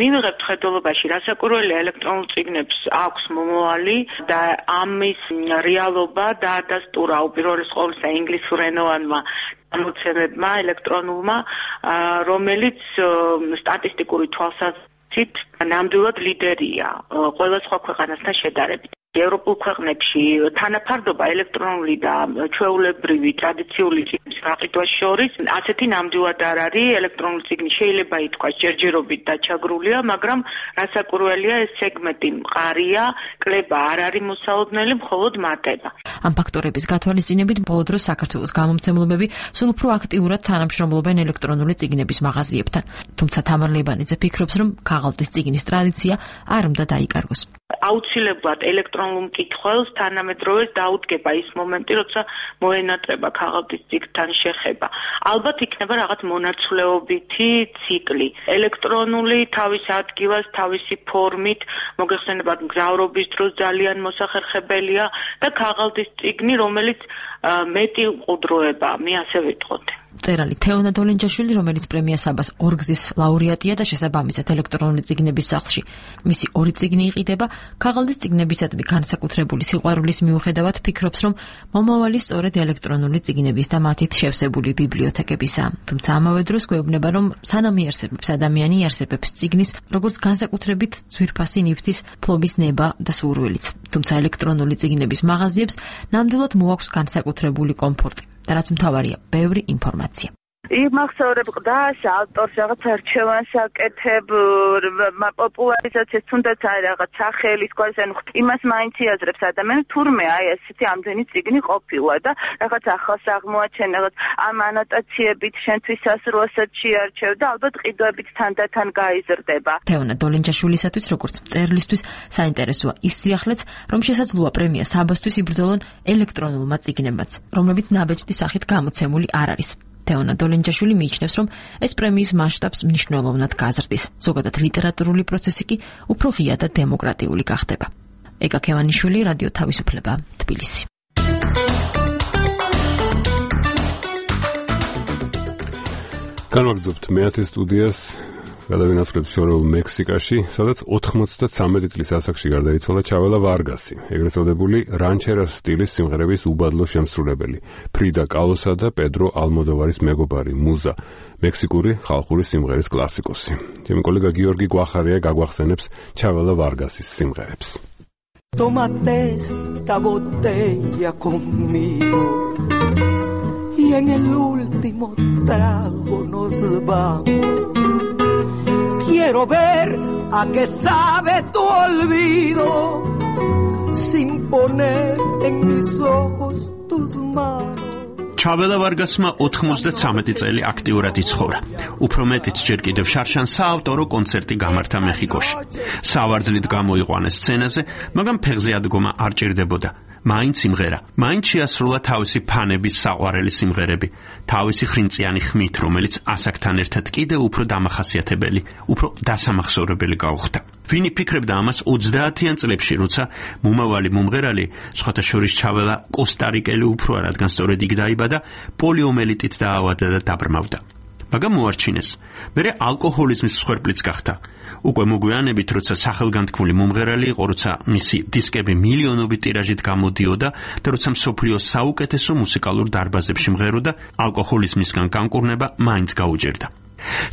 მივიღებთ ხედველობაში, რასაკვირველია ელექტრონულ წიგნებს აქვს მომავალი და ამის რეალობა დაადასტურა უპირველეს ყოვლისა ინგლისურენოვანმა გამოცემებმა ელექტრონულმა, რომელიც სტატისტიკური თვალსაზრისით ნამდვილად ლიდერია ყველა სხვა ქვეყანასთან შედარებით. ევროპულ ქვეყნებში თანაფარდობა ელექტრონული და ჩვეულებრივი ტრადიციული წიგნის გაყიდვას შორის ასეთი ნამდვილად არ არის. ელექტრონული წიგნი შეიძლება ითქვას ჯერჯერობით დაჩაგრულია, მაგრამ რასაკვირველია ეს სეგმენტი მყარია, კლება არ არის მოსალოდნელი, მხოლოდ მატება. ამ ფაქტორების გათვალისწინებით ბოლო დროს საქართველოს გამომცემლობები სულ უფრო აქტიურად თანამშრომლობენ ელექტრონული წიგნების მაღაზიებთან. თუმცა თამარ ლებანიძე ფიქრობს, რომ ქაღალდის წიგნის ტრადიცია არ უნდა დაიკარგოს. აუცილებლად ელექტრონულ მკითხველს თანამედროვე დაუდგება ის მომენტი, როცა მოენატრება ქაღალდის წიგნთან შეხება. ალბათ იქნება რაღაც მონაცვლეობითი ციკლი. ელექტრონული თავის ადგილას, თავისი ფორმით, მოგეხსენებათ მგზავრობის დროს ძალიან მოსახერხებელია და ქაღალდის წიგნი, რომელიც მეტი ყუდროებაა, მე ასე ვიტყოდი. მწერალი თეონა დოლენჯაშვილი, რომელიც პრემია საბას ორგზის ლაურეატია და შესაბამისად ელექტრონული წიგნების სახლში მისი ორი წიგნი იყიდება, ქაღალდის წიგნებისადმი განსაკუთრებული სიყვარულის მიუხედავად ფიქრობს, რომ მომავალი სწორედ ელექტრონული წიგნების და მათით შევსებული ბიბლიოთეკებისაა. თუმცა ამავე დროს გვეუბნება, რომ სანამ იარსებებს ადამიანი, იარსებებს წიგნის, როგორც განსაკუთრებით ძვირფასი ნივთის ფლობის ნება და სურვილიც. თუმცა ელექტრონული წიგნების მაღაზიებს ნამდვილად მოაქვს განსაკუთრებული კომფორტი. და რაც მთავარია, ბევრი ინფორმაცია. იმახსოვრებ ყდას, ავტორს რაღაც არჩევანს აკეთებ, პოპულარიზაციას თუნდაც არის რაღაც სახელის გვარის, ანუ იმას მაინც იაზრებს ადამიანს, თურმე აი ესეთი ამდენი წიგნი ყოფილა და რაღაც ახალს აღმოაჩენ, რაღაც ამ ანოტაციებით შენთვის სასურველსაც შეარჩევ და ალბათ ყიდვებით თანდათან გაიზრდება. თეონა დოლენჯაშვილისათვის, როგორც მწერლისთვის, საინტერესოა ის სიახლეც, რომ შესაძლოა პრემია საბასთვის იბრძოლონ ელექტრონულმა წიგნებმაც, რომლებიც ნაბეჭდი სახით გამოცემული არ არის. თეონა დოლენჯაშვილი მიიჩნევს, რომ ეს პრემიის მასშტაბს მნიშვნელოვნად გაზრდის. ზოგადად ლიტერატურული პროცესი კი უფრო ღია და დემოკრატიული გახდება. ეკა ქევანიშვილი, რადიო თავისუფლება, თბილისი. განვაგრძობთ მეათე სტუდიას. გადავინაცვლებთ შორეულ მექსიკაში, სადაც ოთხმოცდაცამეტი წლის ასაკში გარდაიცვალა ჩაველა ვარგასი, ეგრეთ წოდებული რანჩერას სტილის სიმღერების უბადლო შემსრულებელი, ფრიდა კალოსა და პედრო ალმოდოვარის მეგობარი, მუზა, მექსიკური ხალხური სიმღერის კლასიკოსი. ჩემი კოლეგა გიორგი გვახარია გაგვახსენებს ჩაველა ვარგასის სიმღერებს. Tómate esta botella conmigo y en el último trago nos vamos. Quiero ver a qué sabe tu olvido sin poner en mis ojos tus manos. ჩაველა ვარგასმა ოთხმოცდაცამეტი წელი აქტიურად იცხოვრა. უფრო მეტიც ჯერ კიდევ შარშან საავტორო კონცერტი გამართა მეხიკოში. სავარძლით გამოიყვანა სცენაზე, მაგრამ ფეხზე ადგომა არ ჭირდებოდა. მაინც სიმღერა, მაინც შეასრულა თავისი ფანების საყვარელი სიმღერები, თავისი ხრინწიანი ხმით, რომელიც ასაკთან ერთად კიდევ უფრო დამახასიათებელი, უფრო დასამახსოვრებელი გაუხდა. ვინი ფიქრებდა ამას ოცდაათიან წლებში, როცა მომავალი მომღერალი, სხვათა შორის ჩაველა კოსტარიკელი უფროა, რადგან სწორედ იქ დაიბადა, პოლიომელიტით დაავადდა და დაბრმავდა. მაგრამ მოარჩინეს. მერე ალკოჰოლიზმის მსხვერპლიც გახდა. უკვე მოგვიანებით, როცა სახელგანთქმული მომღერალი იყო, როცა მისი დისკები მილიონობით ტირაჟით გამოდიოდა და როცა მსოფლიოს საუკეთესო მუსიკალურ დარბაზებში მღეროდა, ალკოჰოლიზმისგან განკურნება მაინც გაუჭირდა.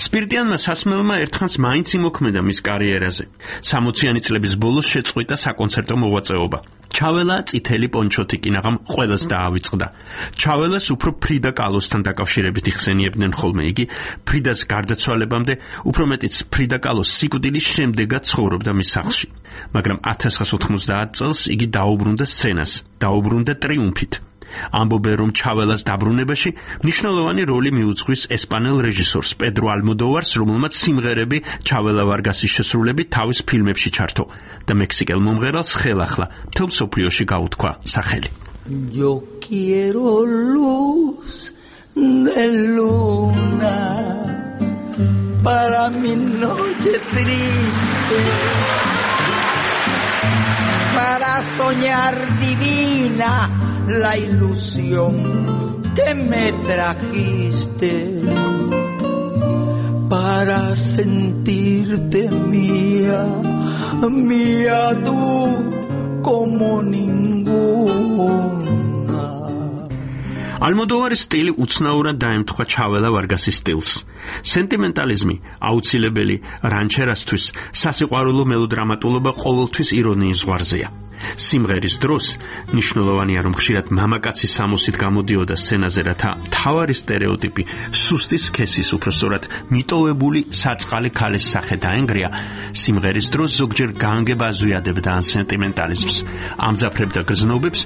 სპირტიანმა სასმელმა ერთხანს მაინც იმოქმედა მის კარიერაზე. სამოციანი წლების ბოლოს შეწყვიტა საკონცერტო მოღვაწეობა. ჩაველა წითელი პონჩოთი კინაღამ ყველას დაავიწყდა. ჩაველას უფრო ფრიდა კალოსთან დაკავშირებით იხსენიებდნენ ხოლმე. იგი ფრიდას გარდაცვალებამდე, უფრო მეტიც ფრიდა კალოს სიკვდილის შემდეგაც ცხოვრობდა მის სახლში. მაგრამ ათას ცხრაასი ოთხმოცდაათ წელს იგი დაუბრუნდა სცენას, დაუბრუნდა ტრიუმფით. ამბობენ, რომ ჩაველას დაბრუნებაში მნიშვნელოვანი როლი მიუძღვის ესპანელ რეჟისორს პედრო ალმოდოვარს, რომელმაც სიმღერები ჩაველა ვარგასის შესრულებით თავის ფილმებში ჩართო და მექსიკელ მომღერალს ხელახლა მთელ მსოფლიოში გაუთქვა სახელი. Yo quiero luz de luna para mi noche triste, para soñar divina la ilusión que me trajiste, para sentirte mía, mía tú como ninguna. ალმოდოვარის სტილი უცნაურად დაემთხვა ჩაველა ვარგასის სტილს. სენტიმენტალიზმი აუცილებელი რანჩერასთვის, სასიყვარულო მელოდრამატულობა ყოველთვის ირონიის ზღვარზეა. სიმღერის დროს მნიშვნელოვანია, რომ ხშირად მამაკაცის სამოსით გამოდიოდა სცენაზე, რათა მთავარი სტერეოტიპი სუსტი სქესის, უпростоრად მიტოვებული საწყალი ქალის სახე დაენგრია. სიმღერის დროს ზოგჯერ განგება აზვიადებდა ან სენტიმენტალიზმს, ამძაფრებდა გრძნობებს,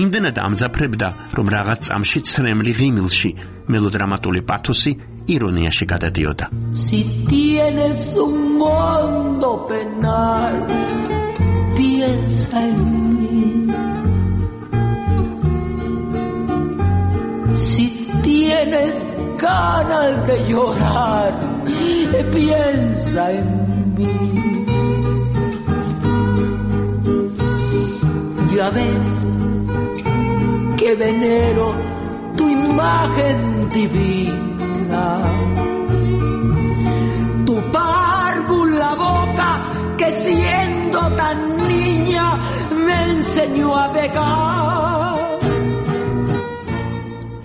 იმდენად ამძაფრებდა, რომ რაღაც წამში ცრემლი ღიმილში მელოდრამატული პათოსი ირონიაში გადადიოდა. Si tienes un mundo penal, piensa en mí. Si tienes ganas de llorar, piensa en mí. Ya ves que venero tu imagen divina, tu párvula boca que siendo tan niña me enseñó a pecar.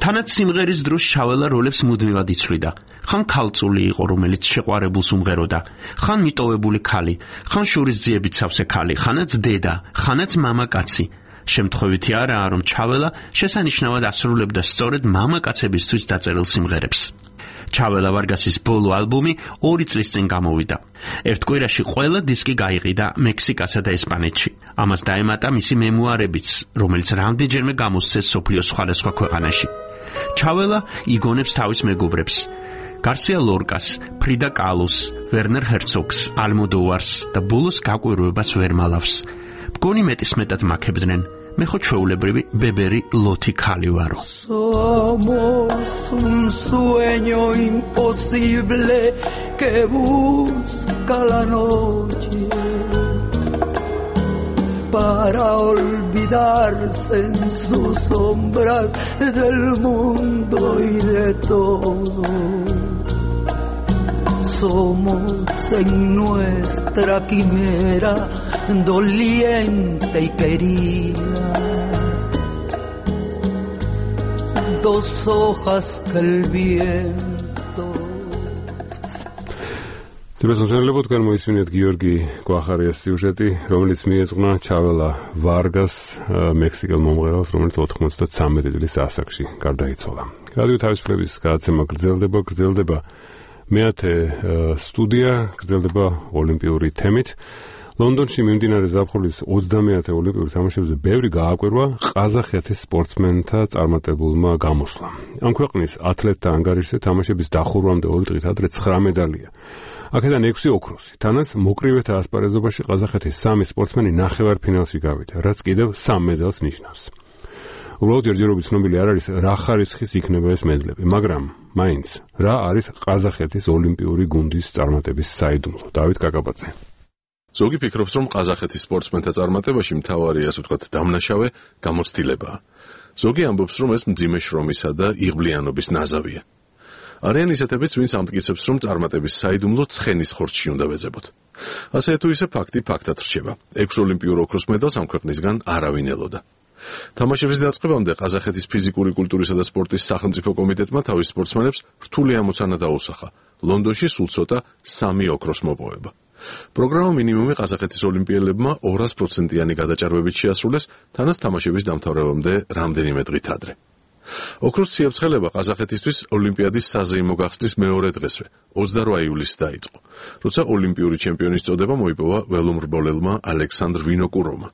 თანაც სიმღერის დროს ჩაველა როლებს მუდმივად იცვლიდა. ხან ქალწული იყო, რომელიც შეყვარებულს უმღეროდა, ხან მიტოვებული ქალი, ხან შურის ძიებით სავსე ქალი, ხანაც დედა, ხანაც მამაკაცი. შემთხვევითი არაა, რომ ჩაველა შესანიშნავად ასრულებდა სწორედ მამაკაცებისთვის დაწერილ სიმღერებს. ჩაველა ვარგასის ბოლო ალბომი ორი წლის წინ გამოვიდა. ერთ კვირაში ყველა დისკი გაიყიდა მექსიკასა და ესპანეთში. ამას დაემატა მისი მემუარებიც, რომელიც რამდენჯერმე გამოსცეს მსოფლიოს სხვადასხვა ქვეყანაში. ჩაველა იგონებს თავის მეგობრებს: გარსია ლორკას, ფრიდა კალოს, ვერნერ ჰერცოგს, ალმოდოვარს და ბოლოს გაკვირვებას ვერ მალავს. მგონი მეტისმეტად მაქებდნენ. მე ხო ჩვეულებრივი ბებერი ლოთი ქალი ვარო. Somos un sueño imposible que busca la noche para olvidarse en sus sombras del mundo y de todo. Somos en nuestra quimera doliente y querida, dos hojas que el viento. თბილისში გამოისმინეთ გიორგი კვახარიას სიუჟეტი, რომელიც მიეძღვნა ჩაველა ვარგას, მექსიკელ მომღერალს, რომელიც ოთხმოცდათრამეტი წლის ასაკში გარდაიცვალა. რადიო თავისუფლების გადაცემა გრძელდება, გრძელდება მეათე სტუდია, გრძელდება ოლიმპიური თემით. ლონდონში მიმდინარე ზაფხულის ოცდამეათე ოლიმპიურ თამაშებზე ბევრი გააკვირვა ყაზახეთის სპორტსმენთა წარმატებულმა გამოსვლამ. ამ ქვეყნის ათლეტთა ანგარიშზე თამაშების დახურვამდე ორი დღით ადრე ცხრა მედალია. აქედან ექვსი ოქროსი. თანაც მოკრივეთა ასპარეზობაში ყაზახეთის სამი სპორტსმენი ნახევარფინალში გავიდა, რაც კიდევ სამ მედალს ნიშნავს. უბრალოდ ჯერჯერობით ცნობილი არ არის, რა ხარისხის იქნება ეს მედლები, მაგრამ მაინც რა არის ყაზახეთის ოლიმპიური გუნდის წარმატების საიდუმლო. დავით კაკაბაძე. ზოგი ფიქრობს, რომ ყაზახეთის სპორტსმენთა წარმატებაში მთავარი, ასე ვთქვათ, დამნაშავე გამოცდილებაა. ზოგი ამბობს, რომ ეს მძიმე შრომისა და იღბლიანობის ნაზავია. არიან ისეთებიც, ვინც ამტკიცებს, რომ წარმატების საიდუმლო ცხენის ხორცში უნდა ვეძებოთ. ასე თუ ისე ფაქტი ფაქტად რჩება. ექვს ოლიმპიურ ოქროს მედალს ამ ქვეყნისგან არავინ ელოდა. თამაშების დაწყებამდე ყაზახეთის ფიზიკური კულტურისა და სპორტის სახელმწიფო კომიტეტმა თავის სპორტსმენებს რთული ამოცანა დაუსახა. ლონდონში სულ ცოტა სამი ოქროს მოპოვება. პროგრამა მინიმუმი ყაზახეთის ოლიმპიელებმა ორასი პროცენტიანი გადაჭარბებით შეასრულეს, თანაც თამაშების დამთავრებამდე რამდენიმე დღით ადრე. ოქროს ციებ-ცხელება ყაზახეთისთვის ოლიმპიადის საზეიმო გახსნის მეორე დღესვე, ოცდაოთხ ივლისს დაიწყო, როცა ოლიმპიური ჩემპიონის წოდება მოიპოვა ველომრბოლელმა ალექსანდრ ვინოკუროვმა.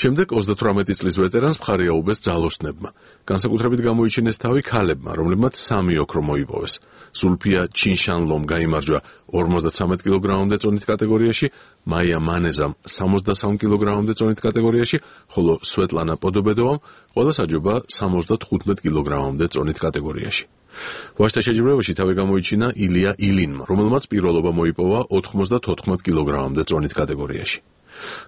შემდეგ ოცდათვრამეტი წლის ვეტერანს მხარი აუბეს ძალოსნებმა. განსაკუთრებით გამოიჩინეს თავი ქალებმა, რომლებმაც სამი ოქრო მოიპოვეს. ზულფია ჩინშანლომ გაიმარჯვა ორმოცდათრამეტ კილოგრამამდე წონით კატეგორიაში, მაია მანეზამ სამოცდასამ კილოგრამამდე წონით კატეგორიაში, ხოლო სვეტლანა პოდობედოვამ ყველა საჯობა სამოცდათხუთმეტ კილოგრამამდე წონით კატეგორიაში. ვაჟთა შეჯიბრებაში თავი გამოიჩინა ილია ილინმა, რომელმაც პირველობა მოიპოვა ოთხმოცდათოთხმეტ კილოგრამამდე წონით კატეგორიაში.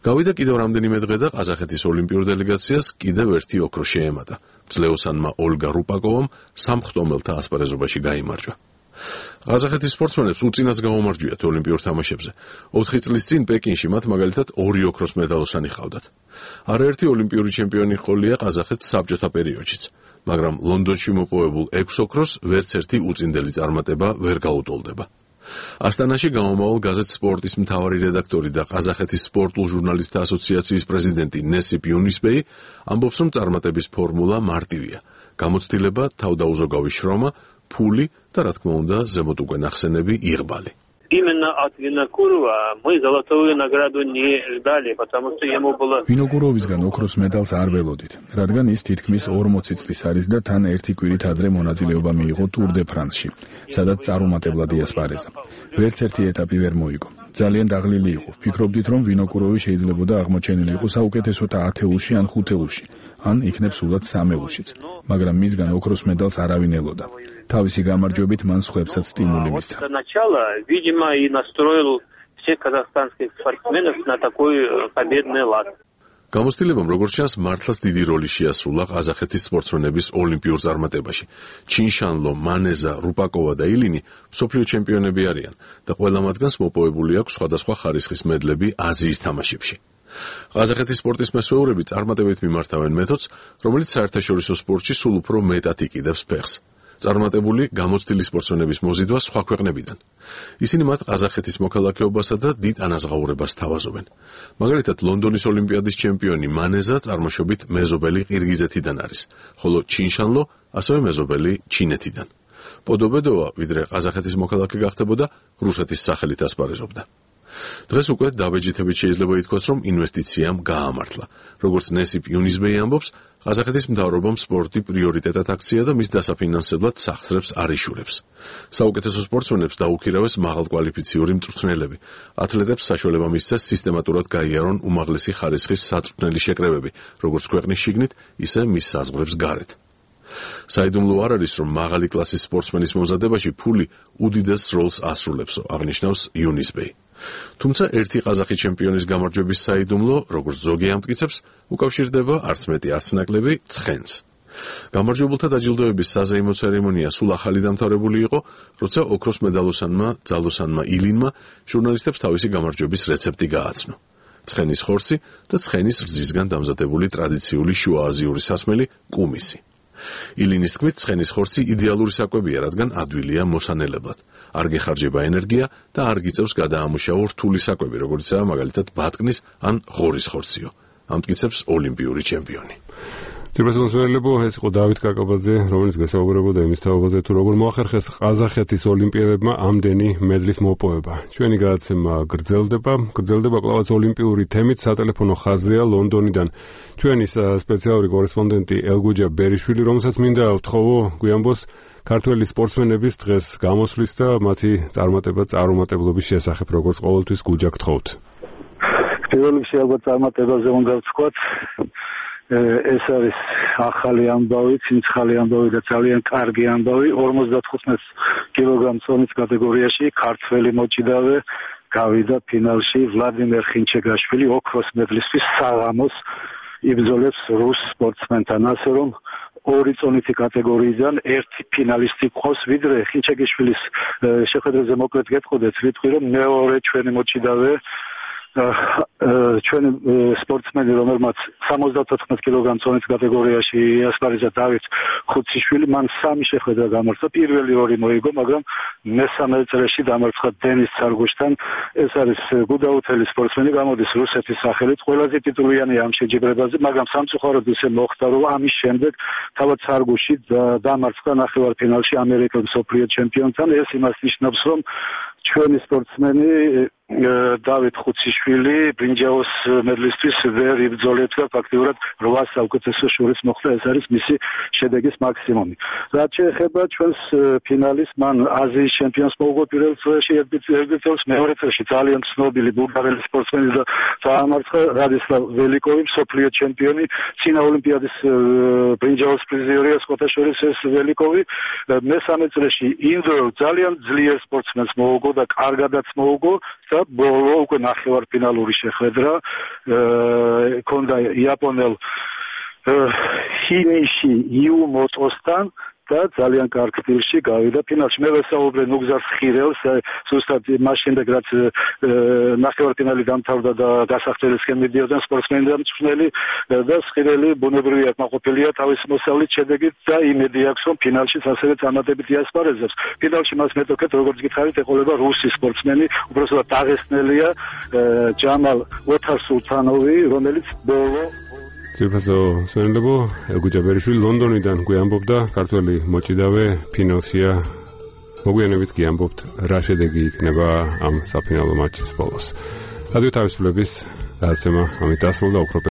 გავიდა კიდევ რამდენიმე დღე და ყაზახეთის ოლიმპიურ დელეგაციას კიდევ ერთი ოქრო შეემატა. ძლეოსანმა ოლგა რუპაკოვამ სამხტომელთა ასპარეზობაში გაიმარჯვა. ყაზახეთის სპორტსმენებს უწინაც გაუმარჯვიათ ოლიმპიურ თამაშებზე. ოთხი წლის წინ პეკინში მათ მაგალითად ორი ოქროს მედალოსანი ჰყავდათ. არაერთი ოლიმპიური ჩემპიონი ჰყოლია ყაზახეთს საბჭოთა პერიოდშიც, მაგრამ ლონდონში მოპოვებულ ექვს ოქროს ვერც ერთი უწინდელი წარმატება ვერ გაუტოლდება. ასტანაში გამომავალ გაზეთ სპორტის მთავარი რედაქტორი და ყაზახეთის სპორტულ ჟურნალისტთა ასოციაციის პრეზიდენტი ნესიპ იუნისბეი ამბობს, რომ წარმატების ფორმულა მარტივია: გამოცდილება, თავდაუზოგავი შრომა, ფული და, რა თქმა უნდა, ზემოთ უკვე ნახსენები იღბალი. Именно от Винокурова мы золотую награду не ждали, потому что ему было... ვინოკუროვისგან ოქროს მედალს არ ველოდით, რადგან ის თითქმის ორმოცი წლის არის და თან ერთი კვირით ადრე მონაწილეობა მიიღო ტურ დე ფრანსში, სადაც წარუმატებლად იასპარეზა. ვერც ერთი ეტაპი ვერ მოიგო. ძალიან დაღლილი იყო. ვფიქრობდით, რომ ვინოკუროვი შეიძლებოდა აღმოჩენილი იყო საუკეთესოთა ათეულში ან ხუთეულში, ან იქნებ სულაც სამეულშიც, მაგრამ მისგან ოქროს მედალს არავინ ელოდა. თავისი გამარჯვებით მან სხვებსაც სტიმული მისცა. Сначала, видимо, и настроил всех казахстанских спортсменов на такой победный лад. გამოცდილებამ, როგორც ჩანს, მართლაც დიდი როლი შეასრულა ყაზახეთის სპორტსმენების ოლიმპიურ წარმატებაში. ჩინშანლო, მანეზა, რუპაკოვა და ილინი მსოფლიო ჩემპიონები არიან და ყველა მათგანს მოპოვებული აქვს სხვადასხვა ხარისხის მედლები აზიის თამაშებში. ყაზახეთის სპორტის მესვეურები წარმატებით მიმართავენ მეთოდს, რომელიც საერთაშორისო სპორტში სულ უფრო მეტად იკიდებს ფეხს. წარმატებული გამოცდილი სპორტსმენების მოზიდვა სხვა ქვეყნებიდან. ისინი მათ ყაზახეთის მოქალაქეობასა და დიდ ანაზღაურებას თავაზობენ. მაგალითად, ლონდონის ოლიმპიადის ჩემპიონი მანეზა წარმოშობით მეზობელი ყირგიზეთიდან არის, ხოლო ჩინშანლო ასევე მეზობელი ჩინეთიდან. პოდობედოვა, ვიდრე ყაზახეთის მოქალაქე გახდებოდა, რუსეთის სახელით ასპარეზობდა. დღეს უკვე დაბეჯითებით შეიძლება ითქვას, რომ ინვესტიციამ გაამართლა. როგორც ნესიპ იუნისბეი ამბობს, ყაზახეთის მთავრობამ სპორტი პრიორიტეტად აქცია და მის დასაფინანსებლად სახსრებს არ იშურებს. საუკეთესო სპორტსმენებს დაუქირავეს მაღალკვალიფიციური მწვრთნელები. ათლეტებს საშუალება მისცეს სისტემატურად გაიარონ უმაღლესი ხარისხის საწვრთნელი შეკრებები, როგორც ქვეყნის შიგნით, ისე მის საზღვრებს გარეთ. საიდუმლო არ არის, რომ მაღალი კლასის სპორტსმენის მომზადებაში ფული უდიდეს როლს ასრულებსო, აღნიშნავს იუნისბეი. თუმცა ერთი ყაზახი ჩემპიონის გამარჯვების საიდუმლო, როგორც ზოგი ამტკიცებს, უკავშირდება არც მეტი არც ნაკლები ცხენს. გამარჯვებულთა დაჯილდოების საზეიმო ცერემონია სულ ახალი დამთავრებული იყო, როცა ოქროს მედალოსანმა ძალოსანმა ილინმა ჟურნალისტებს თავისი გამარჯვების რეცეპტი გააცნო. ცხენის ხორცი და ცხენის რძისგან დამზადებული ტრადიციული შუააზიური სასმელი კუმისი. ილინის თქმით, ცხენის ხორცი იდეალური საკვებია, რადგან ადვილია მოსანელებლად. არ გეხარჯება ენერგია და არ გიწევს გადაამუშავო რთული საკვები, როგორიცაა მაგალითად ბატკნის ან ღორის ხორციო. ამტკიცებს ოლიმპიური ჩემპიონი. თირბასმოსველებო, ეს იყო დავით კაკაბაძე, რომელიც გასაუბრებოდა იმის თაობაზე, თუ როგორ მოახერხეს ყაზახეთის ოლიმპიელებმა ამდენი მედლის მოპოვება. ჩვენი გადაცემა გრძელდება, გრძელდება კვლავაც ოლიმპიური თემით, სატელეფონო ხაზია ლონდონიდან ჩვენი სპეციალური კორესპონდენტი ელგუჯა ბერიშვილი, რომელსაც მინდა ვთხოვო გვიანბოს ქართველი სპორტსმენების დღეს გამოსვლის და მათი წარმატება წარუმატებლობის შესახებ, როგორც ყოველთვის გუჯა გთხოვთ. პირველ რიგში ალბათ წარმატებაზე უნდა ვთქვათ, ეს არის ახალი ამბავი, ცინცხალი ამბავი და ძალიან კარგი ამბავი. ორმოცდათხუთმეტ კილოგრამ წონის კატეგორიაში ქართველი მოჭიდავე გავიდა ფინალში. ვლადიმერ ხინჩეგაშვილი ოქროს მედლისთვის საღამოს იბრძოლებს რუს სპორტსმენთან, ასე რომ ორი წონითი კატეგორიიდან ერთი ფინალისტი ყავს, ვიდრე ხინჩეგაშვილის შეხვედრაზე მოკლედ გეტყოდეთ, ვიტყვი რომ მეორე ჩვენი მოჭიდავე ჩვენი სპორტსმენი, რომელმაც სამოცდათოთხმეტ კილოგრამ წონის კატეგორიაში ასპარეზა დავით ხუციშვილი, მან სამი შეხვედრა გამართა. პირველი ორი მოიგო, მაგრამ მესამე წრეში დამარცხა დენის ცარგუშთან. ეს არის გუდაუთელი სპორტსმენი, გამოდის რუსეთის სახელით. ყველაზე ტიტულიანია ამ შეჯიბრებაზე, მაგრამ სამწუხაროდ ისე მოხდა, რომ ამის შემდეგ თავად ცარგუში დამარცხა ნახევარფინალში ამერიკელ მსოფლიო ჩემპიონთან. ეს იმას ნიშნავს, რომ ჩვენი სპორტსმენი დავით ხუციშვილი ბრინჯაოს მედლისთვის ვერ იბრძოლებდა, ფაქტიურად რვა საუკეთესო შორის მოხვდა, ეს არის მისი შედეგის მაქსიმუმი. რაც შეეხება ჩვენს ფინალის, მან აზიის ჩემპიონს მოუგო პირველ წრეში, ერთ წელს მეორე წრეში ძალიან ცნობილი ბულგარელი სპორტსმენი დაამარცხა რადისლავ ველიკოვი, მსოფლიო ჩემპიონი, წინა ოლიმპიადის ბრინჯაოს პრიზიორია სხვათა შორის ეს ველიკოვი. მესამე წრეში ინდოელ ძალიან ძლიერ სპორტსმენს მოუგო და კარგადაც მოუგო. ბოლო უკვე ნახევარფინალური შეხვედრა ქონდა იაპონელ ჰინიში იუმოტოსთან და ძალიან კარგ სტილში გავიდა ფინალში. მე ვესაუბრე ნუგზარ ხირელს, ზუსტად მას შემდეგ რაც ნახევარფინალი დამთავრდა და გასახდელისკენ მიდიოდნენ სპორტსმენი და მწვრთნელი და ხირელი ბუნებრივი აკმაყოფილია თავის მოსავლით შედეგით და იმედი აქვს, რომ ფინალში ასევე წარმატებით იასპარეზებს. ფინალში მას მეტოქეთ, როგორც გითხარით, ეყოლება რუსი სპორტსმენი, უბრალოდ დაღესტნელია ჯამალ ოთარსულთანოვი, რომელიც ბოლო ძირფასო სვენდებო ელგუჯაბერიშვილი ლონდონიდან გვიამბობდა, ქართველი მოჭიდავე ფინალშია. მოგვიანებით კი ამბობთ, რა შედეგი იქნება ამ საფინალო მატჩის ბოლოს. რადიო თავისუფლების გადაცემა ამით დასრულდა.